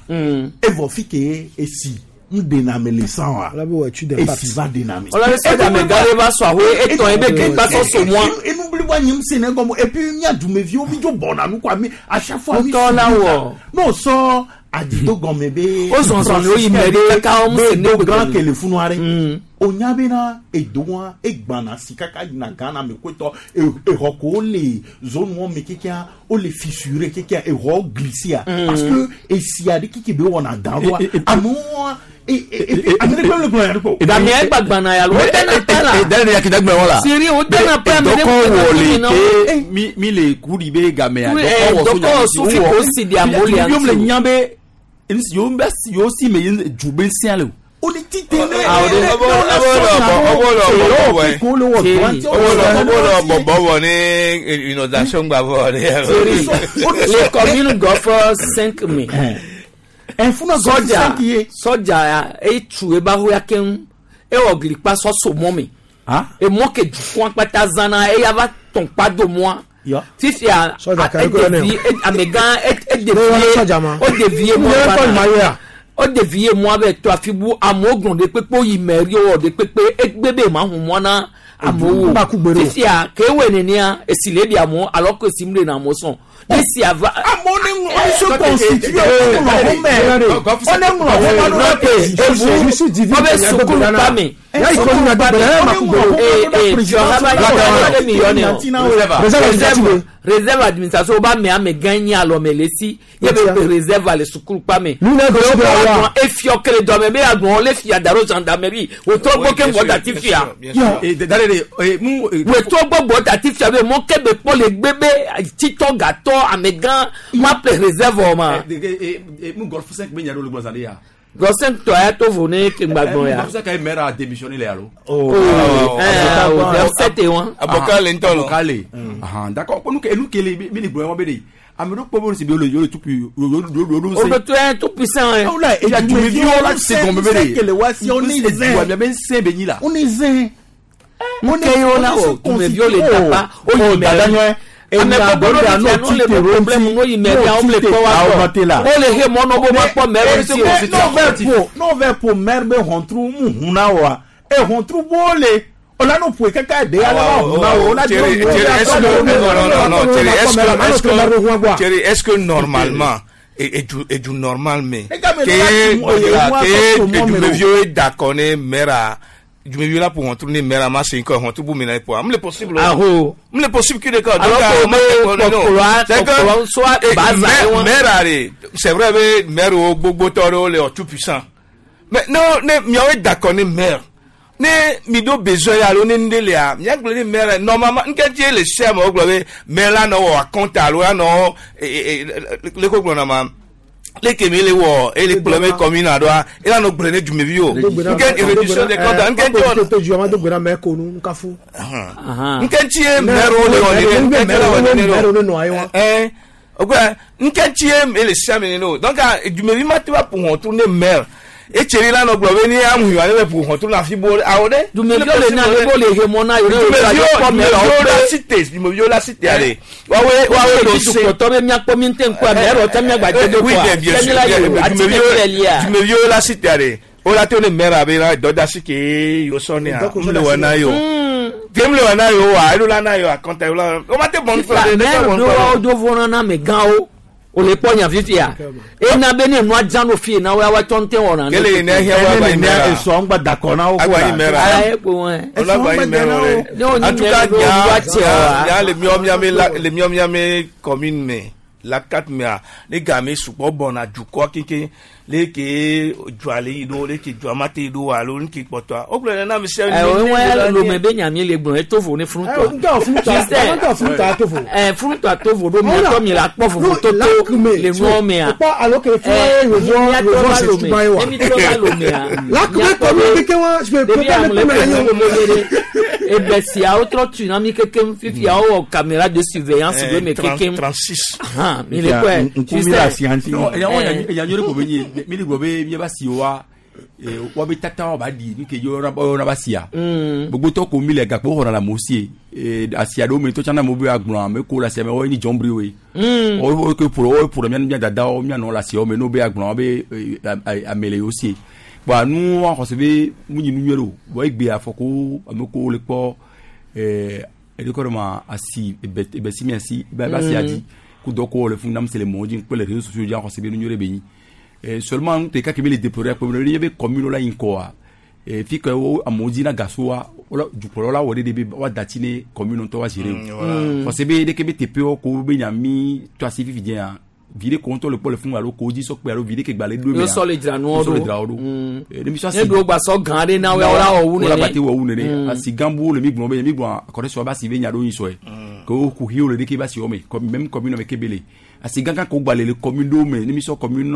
Speaker 3: Evɔ fi ke esi ŋu ɖena ame le san wa. Esi va ɖena ame.
Speaker 2: Ɔlɔ bɛ sɔdza mɛ gã ɖe va sɔ ahoe etɔn ye be ke gba sɔ so mɔa.
Speaker 3: Enu blibo nye ŋusẽ ne gɔme et puis mía dumeviwo mi dzo bɔna nu kɔa mi à chaque fois mi
Speaker 2: Ŋutɔ la wɔ.
Speaker 3: N'o sɔ adido gɔme be.
Speaker 2: O zɔzɔn le wo yi mɛ ɖe kaka wo ŋusẽ ne
Speaker 3: do
Speaker 2: gbe
Speaker 3: gã kele funua ɖe. O nya bena edoa egbana si kaka yina Ghana me kotɔ exɔ ko le zone wɔn me kekea o le fissuré kekea exɔ glissé
Speaker 17: Mm.
Speaker 3: parce que esia ɖe keke be wɔna dan ɖoa amewo
Speaker 2: Gamia gbagbana ya lo dana pa la.
Speaker 17: Dana ya kita gbɛn wala.
Speaker 2: Siri o dana pa mi
Speaker 17: dɔkɔ wɔle ke mi mi le kuri be gamia.
Speaker 2: Dɔkɔ sufi ko si di amewo le
Speaker 17: anti. Yom le nya be yom bɛ yom si me ju be sia le o.
Speaker 3: O ni ti tɛ ne.
Speaker 1: Ɔbɔlɔ bɔbɔ ni inondation gba bɔ de.
Speaker 2: Le commune gɔfɔ cinq mai. Sɔdza sɔdza etu eba ho ya keŋ ewɔ glikpa sɔ so mɔ me. Emɔ ke dukɔa kpata zãna eya va tɔn kpa do mɔa. Fifia edevi amegã edevie o devie mɔ ba o devie mɔ bɛ to afi bu amewo gblɔ de kpekpe yi mɛri wɔ de kpekpe egbe be ma hu mɔ na amewo fifia kewe nenia esi le di amewo alo ko esi mu de na amewo sɔn esi ava.
Speaker 3: amewo ne ŋlɔ ne se constitue ŋlɔ ho mɛ o ne ŋlɔ ho ma do
Speaker 2: ebu o bɛ sukulu pa mi sukulu pa mi ee ee jɔhaba yɔ mi yɔ ne o réserve réserve administration o b'a mɛ ame gã nyi alɔmɛ le si ye bɛ réserve le sukulu pa mi. Efiɔ kele dɔmɛ bɛ agbɔn le fia daro gendarmerie o tɔ gbɔ ke ŋgɔ dati fia. O tɔ gbɔ gbɔ dati fia bɛ mɔ kɛ bɛ kpɔ le gbe bɛ titɔ gatɔ ame gã ma ple réserve ma.
Speaker 17: Mu golf cinq bɛ ɲa olu gbɔsan de ya.
Speaker 2: Golf tɔ ya to vo ne ke gbagbɔn ya.
Speaker 17: Golf cinq ye maire a démissionné le alo.
Speaker 2: Oh oh sept et un.
Speaker 1: Abokale ntɔ lɔ.
Speaker 17: Abokale. D'accord ko nu ke enu kele mi ni gbɔn bɛ de. Ame ɖo kpɔ bɛ si bi olu yolu tout pu olu olu
Speaker 2: o bɛ to yɛ tout puissant yɛ.
Speaker 3: O la
Speaker 17: edumeviwo la se gɔmɛ bɛ de.
Speaker 3: Kele wa si o ni zɛn.
Speaker 17: Wa bɛ sɛn bɛ nyi la.
Speaker 3: O ni zɛn.
Speaker 2: Mun kɛ y'o la o dumeviwo le dapa o yi mɛ ame gbogbo ɖo le fia le problème n'o yi mɛ bia o le kpɔ wa gbɔ o le he mɔ n'o b'o ma kpɔ mɛ bɛ si o.
Speaker 3: N'o bɛ po mɛ bɛ hɔntru mu hun na wa e hɔntru b'o le olano poe kaka de ala wa hun na o la
Speaker 1: de o. Thierry, est-ce que normalement et du et du normal mais que que du d'accord ne mera dumevi la pour retourner mère à ma cinq heures retour pour mener pour am le possible
Speaker 2: aho
Speaker 1: am le possible qui d'accord
Speaker 2: donc c'est que soit
Speaker 1: mère allez c'est vrai mais mère au gbogbo toro le tout puissant mais non ne mi est d'accord ne mère ne mi do besoin alo ne ndele a mi agble ne mère normalement nketie le chef mo gbe mère la no wa compte alo la no le ko gbo na ma leke mi le wɔ ele kplɔ mi commune aɖoa ela nɔ gblẽ ne dumevi o nke réduction des comptes nke ntsi
Speaker 23: to ju ama do gbera mɛ ko nu nkafu.
Speaker 1: nke ntsi ye mɛro le wɔ nene nke ntsi le wɔ nene
Speaker 23: mɛro ne nɔ ayi wa.
Speaker 1: ɛn o kɔ nke ntsi ye ele sia mi nene o donc dumevi ma te va ƒo hɔntru ne mɛr etseri la nɔ gblɔ be ni amu yiwa ne bɛ ƒo hɔntru na fi bo awɔ ɖe.
Speaker 2: dumeviwo le na ale bo le he mɔ na yòrò
Speaker 1: yòrò dumeviwo la cité dumeviwo la cité ale wawe wawe
Speaker 2: do se dukɔtɔ bɛ miakpɔ mi tɛ ŋkɔ mɛ ɛrɔ tɛ miagbadze do kɔa
Speaker 1: tɛmi la yòrò ati tɛ fɛ lia dumeviwo la cité ale o la to ne mɛra abe la dɔdasi ke yosɔ ne a n le wɔ na yo tem le wɔ na yo wa elo la na yo a kɔnta la o ma te bɔn
Speaker 2: fɛ de ne tɛ bɔn fɛ. mɛ do fɔlɔ na mɛ gan o. O le kpɔ nya fifia ena be ne nua dzã no fie na wo awa tsɔ ŋutɛ wɔna.
Speaker 1: kele ne hiã wa gba yi mɛra
Speaker 3: esɔ ŋgba dakɔ na wo
Speaker 1: ko la agba yi mɛra
Speaker 2: ayi ko wɛ.
Speaker 1: o la gba yi mɛra
Speaker 2: ne o ni mɛra do wa tiɛ wa.
Speaker 1: nya le miɔ miame la le miɔ miame commune me la quatre mea ne game sukpɔ bɔna dukɔ keke le ke dua le yi do le ke dua ma te yi do alo ne ke kpɔtɔa o gblɔ nana mi sɛ.
Speaker 2: ɛ o ŋu lome be nya mi le gblɔ eto vo ne furutɔ.
Speaker 23: furutɔ ato vo.
Speaker 2: ɛ furutɔ ato vo ɖo miatɔ mi la kpɔ vovo toto le nuɔ mea.
Speaker 23: kpɔ alo ke fún yovɔ yovɔ se tuba ye wa.
Speaker 2: emi trɔ va lomea.
Speaker 23: lakume kɔmi keke wa
Speaker 2: ɖevi amu le kpe ebe siawo trɔ tu na mi kekem fifia wowɔ caméra de surveillance do me kekem.
Speaker 1: trente-six.
Speaker 2: mi le kɔɛ.
Speaker 17: nkubi la sianti. eya nyɔrɔ ko bɛ nye mi le gblɔ be miaba si wa wa be tata wa ba di nu ke yɔrɔ ba sia. Gbogbotɔ ko mi le gakpo xɔna le amewo sie asia ɖewo me tɔ tsana amewo be agblɔ ame ko le asia me wɔye ni jɔnbri woe. Wo ke ƒo wo ƒo ɖe mia mia dadawo mia nɔ le asiawo me n'o be agblɔ be ame le yewo sie. Bɔn anu xɔse be mu nyi nu nyuie ɖo bɔn egbe afɔku ame ko le kpɔ ɛɛ edekɔ ɖe ma asi ebe ebe si mia si ebe asia dzi ko dɔ ko le fún nam se le mɔ dzi kple le réseaux sociaux dzi axɔse be nu nyuie ɖe be nyi. Seulement nu ɖeka ke mi le déplorer akpɔ be ne be commune la yi ŋkɔa fi ke wo amewo dzi na gasoa dukplɔlawo la wɔ ɖe be woa da tsi ne commune ŋutɔ wa gérer o parce que be ɖeke be teƒewo ko be nya mi to asi fifi dzia viɖe ko ŋutɔ le kpɔ le funu alo ko dzi sɔ kpe alo viɖe ke gba le ɖo
Speaker 2: Yo sɔ le dzra nuwo
Speaker 17: sɔ le
Speaker 2: ɖo.
Speaker 17: dzra wo ɖo
Speaker 2: Mm.
Speaker 17: Eh, ne mi sɔ
Speaker 2: Ne ɖewo gba sɔ gã ɖe na wo ya wola wɔ wu
Speaker 17: wola
Speaker 2: nene.
Speaker 17: gba te wɔ wu nene
Speaker 2: Mm.
Speaker 17: asi gã bu le mi gblɔ be mi gblɔ akɔrɛ sɔ ba si be nya ɖo yin sɔe ke wo kuxiwo le ɖeke ba si wɔ me comme même commune me ke be le asi gã gã ko gba le le commune ɖewo me ne mi sɔ commune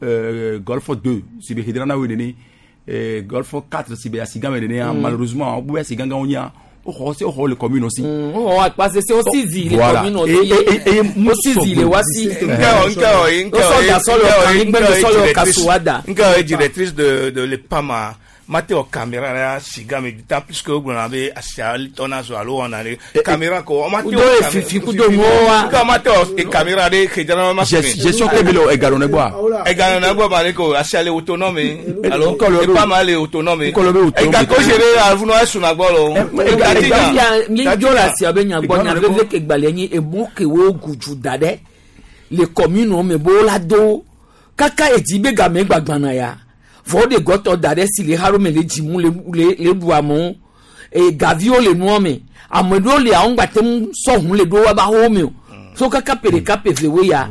Speaker 17: euh, golfe deux si be xedra na wo nene euh, golfe quatre si be asi gã me nene
Speaker 2: Mm.
Speaker 17: malheureusement wo be asi gã gãwo nyia woxɔ se woxɔ le commune aussi.
Speaker 2: Wowɔ akpa sese wo si zi le
Speaker 17: Voilà.
Speaker 2: commune
Speaker 17: Et-
Speaker 2: ɔti.
Speaker 17: et- et- et
Speaker 2: Wo si zi le wa si.
Speaker 1: Wosɔ
Speaker 2: da sɔ le ɔka nyigbe sɔ le ɔka suwada.
Speaker 1: Nka ye directrice de de l'EPAMA mate wɔ caméra la siga me d'autant plus que wogblɔna be asia tɔna zɔ alo wɔna ɖe caméra ko mate
Speaker 2: Kudo efifi kudo nuwo wa.
Speaker 1: nka mate wɔ caméra ɖe xedzana ma
Speaker 17: Gest- gestion ke be le ega ɖo ne gbɔa.
Speaker 1: ega nɔ gbɔ ma ɖe ko asia le autonome alo
Speaker 17: Nkɔ le-
Speaker 1: EPAMA le autonome
Speaker 17: Nkɔ le be autonome.
Speaker 1: ega ko se ɖe avunu esuna gbɔ lo
Speaker 2: Fifia mi dzo le asia be nyagbɔ nya veve ke gbalẽ nyi emo ke wo gudu da ɖe le commune me bo la do kaka edzi be game gbagbana ya vɔ de gɔtɔ da ɖe si le haɖo me le dzimu le le le ɖu amewo e gaviwo le nua me ame ɖewo le awo ŋgba te ŋu sɔ ʋu le ɖo woaba xɔwo me o so kaka pe ɖeka pe ve wo ya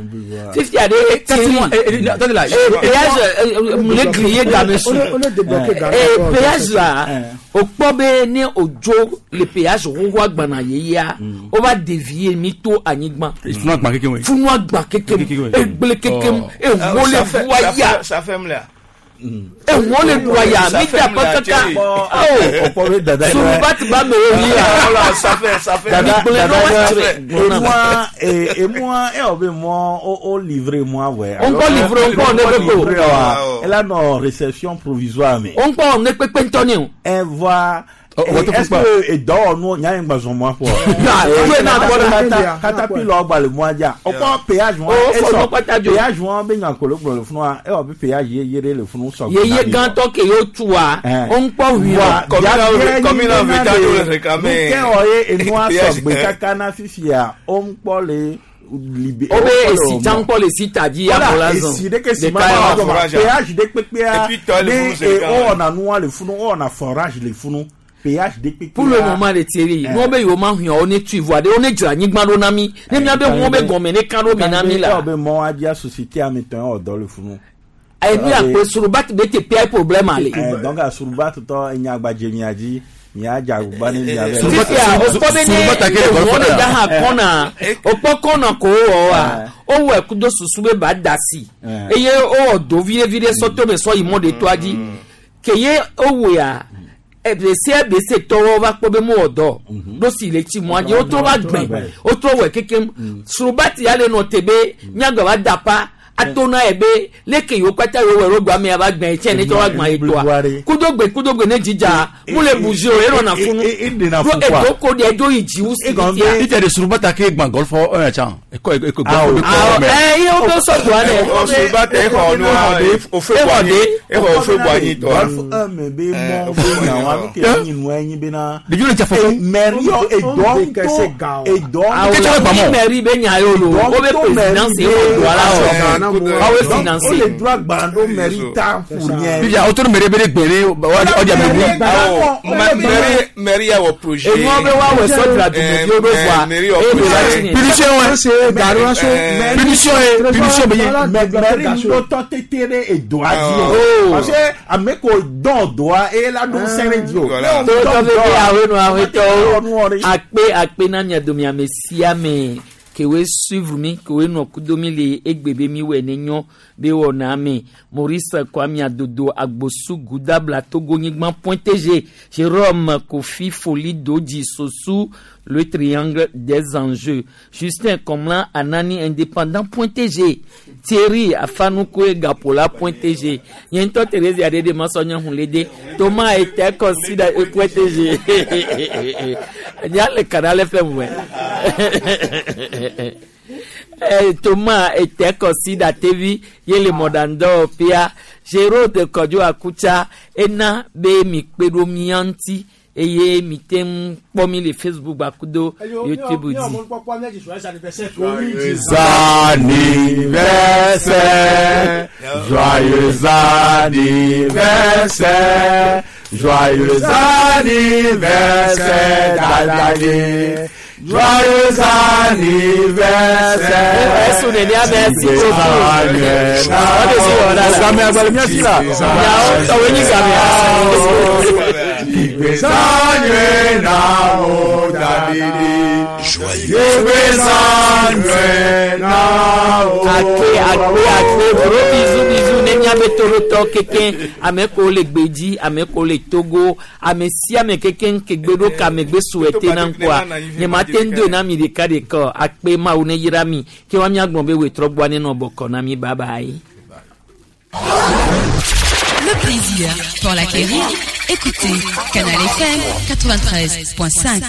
Speaker 2: fifia ɖe
Speaker 17: Kasi moi, eh, eh, attendez là.
Speaker 2: Eh, péage eh, eh, le grillé game su Eh, péage la o kpɔ be ne o dzo le péage xoxoa gbana yeyea o va dévier mi to anyigba
Speaker 17: Funu agba keke we.
Speaker 2: funu agba kekem egble kekem eŋuwo le ʋua ya
Speaker 1: ça fait mlea
Speaker 2: eŋuwo le ʋua ya mi da kɔ kaka
Speaker 3: Ọ̀pọ̀ bẹ dada yẹn.
Speaker 2: suruba ti ba mɛ o yi ya
Speaker 1: Voilà, ça fait ça fait
Speaker 3: Dada
Speaker 2: Gblẽ
Speaker 3: dada
Speaker 2: na wa
Speaker 3: yɛ
Speaker 2: tsrɛ.
Speaker 3: emua eh, emua e wɔ be mɔ o o livre mua wɛ.
Speaker 2: O ŋkɔ livre, o ŋkɔ ne kpekpe o.
Speaker 3: Livre wa ela nɔ réception provisoire me.
Speaker 2: o ŋkɔ ne kpekpe ŋutɔ ne o.
Speaker 3: Ɛ voa
Speaker 17: Ɔ- ɔ-
Speaker 3: est-ce que edɔwɔnu nya ye gbazɔn mɔ fɔ.
Speaker 2: Ya, tue na gbɔ ɖe.
Speaker 3: Katapila gba le mɔa dza. Ɔkɔ péage
Speaker 2: O,
Speaker 3: wɔn
Speaker 2: fɔ nɔ kpata dzo.
Speaker 3: péage wɔn be nyankolo gblɔ le funu wa e wɔ be péage ye ye ɖe le funu sɔgbɔ.
Speaker 2: yeye gãtɔ ke yewo tua o ŋkpɔ ʋui
Speaker 3: Nuke wɔ ye enua sɔgbe kaka na fifia o ŋkpɔ le libe.
Speaker 2: o be esi tsã ŋkpɔ le si ta dzi ya mɔ la zɔn
Speaker 3: esi ɖeke si ma
Speaker 2: Ɖeka
Speaker 3: ma
Speaker 2: ya
Speaker 3: wɔ
Speaker 2: ma.
Speaker 3: péage ɖe kpekpea
Speaker 1: Et puis, toi, le
Speaker 3: ne
Speaker 1: funu, c'est
Speaker 3: e
Speaker 1: quand
Speaker 3: o wɔna nua le funu o wɔna forage le funu péage ɖe kpekpea.
Speaker 2: pour le moment le Thierry
Speaker 3: Eh.
Speaker 2: nuwo be yewo ma hũa wo ne tui voa ɖe wo ne dzra anyigba ɖo na mi ne miabe ʋuwo be gɔme ne kan ɖo me na mi la
Speaker 3: Ewɔ be mɔ adzia société ame tɔn wɔ dɔ le funu.
Speaker 2: enu ya kpe suruba ti be te pia problème ale.
Speaker 3: Eh, donc asuruba tutɔ enyagbadze mia dzi mia dze agbagba ne mia bɛ.
Speaker 2: fifia o kpɔ be ne eʋuwo le da hã kɔna o kpɔ kɔna ko wɔ wa o wɔ ɛkudo susu be ba da si eye o wɔ do viɖe viɖe sɔ to me sɔ yi mɔ de toa dzi ke ye o wɔ ya ebese ebese tɔwɔ va kpɔ be mo wɔ dɔ ɖo si le tsi mɔa dzi wotrɔ va gbɛ wotrɔ wɔ kekem suruba ti ya le nɔ te be miagbɛ va da pa atona yɛ be leke yiwo kpata yiwo wɔ ɖo gbame ya va gbɛ tsɛ ne tsɔ va gbã yi toa kudogbe kudogbe ne dzidza mu le buzi o erɔna funu
Speaker 3: funu
Speaker 2: ɖo edo ko ɖe edo yi dzi wu si fia
Speaker 17: Ite de suruba ta ke gba golf un chan. Eko eko golf be
Speaker 2: awɔ
Speaker 17: kɔ mɛ.
Speaker 2: ɛ iye wo be sɔ doa dɛ
Speaker 1: Suruba tɛ exɔ nua ofe bɔ anyi exɔ ofe bɔ anyi tɔ
Speaker 3: Golf un me be mɔ be nyawa nu ke nyi nua enyi bena.
Speaker 17: Ɖeviwo le tsa fɔ.
Speaker 3: Mɛri yɔ edɔ ŋutɔ edɔ
Speaker 2: awɔ ni mairie be nya ye o lo wo be présidence ye wɔ doa la o awo finance
Speaker 3: O le do agba ɖo mɛri ta ƒo nye.
Speaker 17: Bibia o to mɛri be de gbɛ ne ɔdi ame bu.
Speaker 1: mairie mairie ya wɔ projet
Speaker 2: Enuwo be woawɔ sɔ dzra dumeviwo ɖo voa
Speaker 1: mairie wɔ
Speaker 2: eye ɖo la
Speaker 1: projet
Speaker 2: tsi ne.
Speaker 17: Punition wɛ. Punition ye punition be ye.
Speaker 3: Mɛri ŋutɔ tete ɖe edoa dzi o.
Speaker 2: Oh.
Speaker 3: Parce que ame ko dɔn doa eye la ɖo ŋusẽ ɖe dzi o.
Speaker 2: tɔtɔ veve awo nu awetɔwo akpe akpe na mia domi ame sia ame kewoe suivre mi kewoe nɔ kudo mi le egbe be mi wɔ ne nyɔ be wɔna me maurice kwame adodo agbosu gudabla togo nyigba point tg jérôme kofi foli dodji sosu le triangle des enjeux justin komlan anani indépendant point tg thierry afanukoe gapola point tg nye ŋutɔ therese aɖeɖe masɔnyɔ hunlede thomas ete consider point tg nya le canal fm wɛ Eh, Thomas ete consider tv ye le mɔɖaŋdɔ pia Gérald Kɔdzo Akutsa ena be mi kpe ɖo mía ŋuti eye mi te ŋu kpɔ mi le Facebook gbakudo YouTube dzi.
Speaker 12: Joyeux anniversaire, joyeux anniversaire, joyeux anniversaire, Dadaye.
Speaker 3: Joyeux anniversaire.
Speaker 2: Ẹ̀sùn nìyí á merci beaucoup. Ọdẹ sí ọ̀dà la.
Speaker 3: Gàmì àgbàlẹ̀ mi àti là.
Speaker 2: Yàwó tọ̀wé ní gàmì.
Speaker 3: Ìgbésànyé náà ó dàbí. Ìgbésànyé náà ó.
Speaker 2: Akpe akpe akpe gros bisous bisous ne miabe torotɔ keke ame ko le gbedzi ame ko le Togo ame sia ame keke ke gbe ɖo kame gbe suwɛte na ŋkɔa nye ma te ŋu do na mi ɖeka ɖeka akpe mawu ne yra mi ke wa miagblɔ be wetrɔ gbɔa ne nɔ bɔkɔ na mi bye bye.
Speaker 5: Le plaisir pour l'acquérir, écoutez Canal F M quatre-vingt-treize point cinq.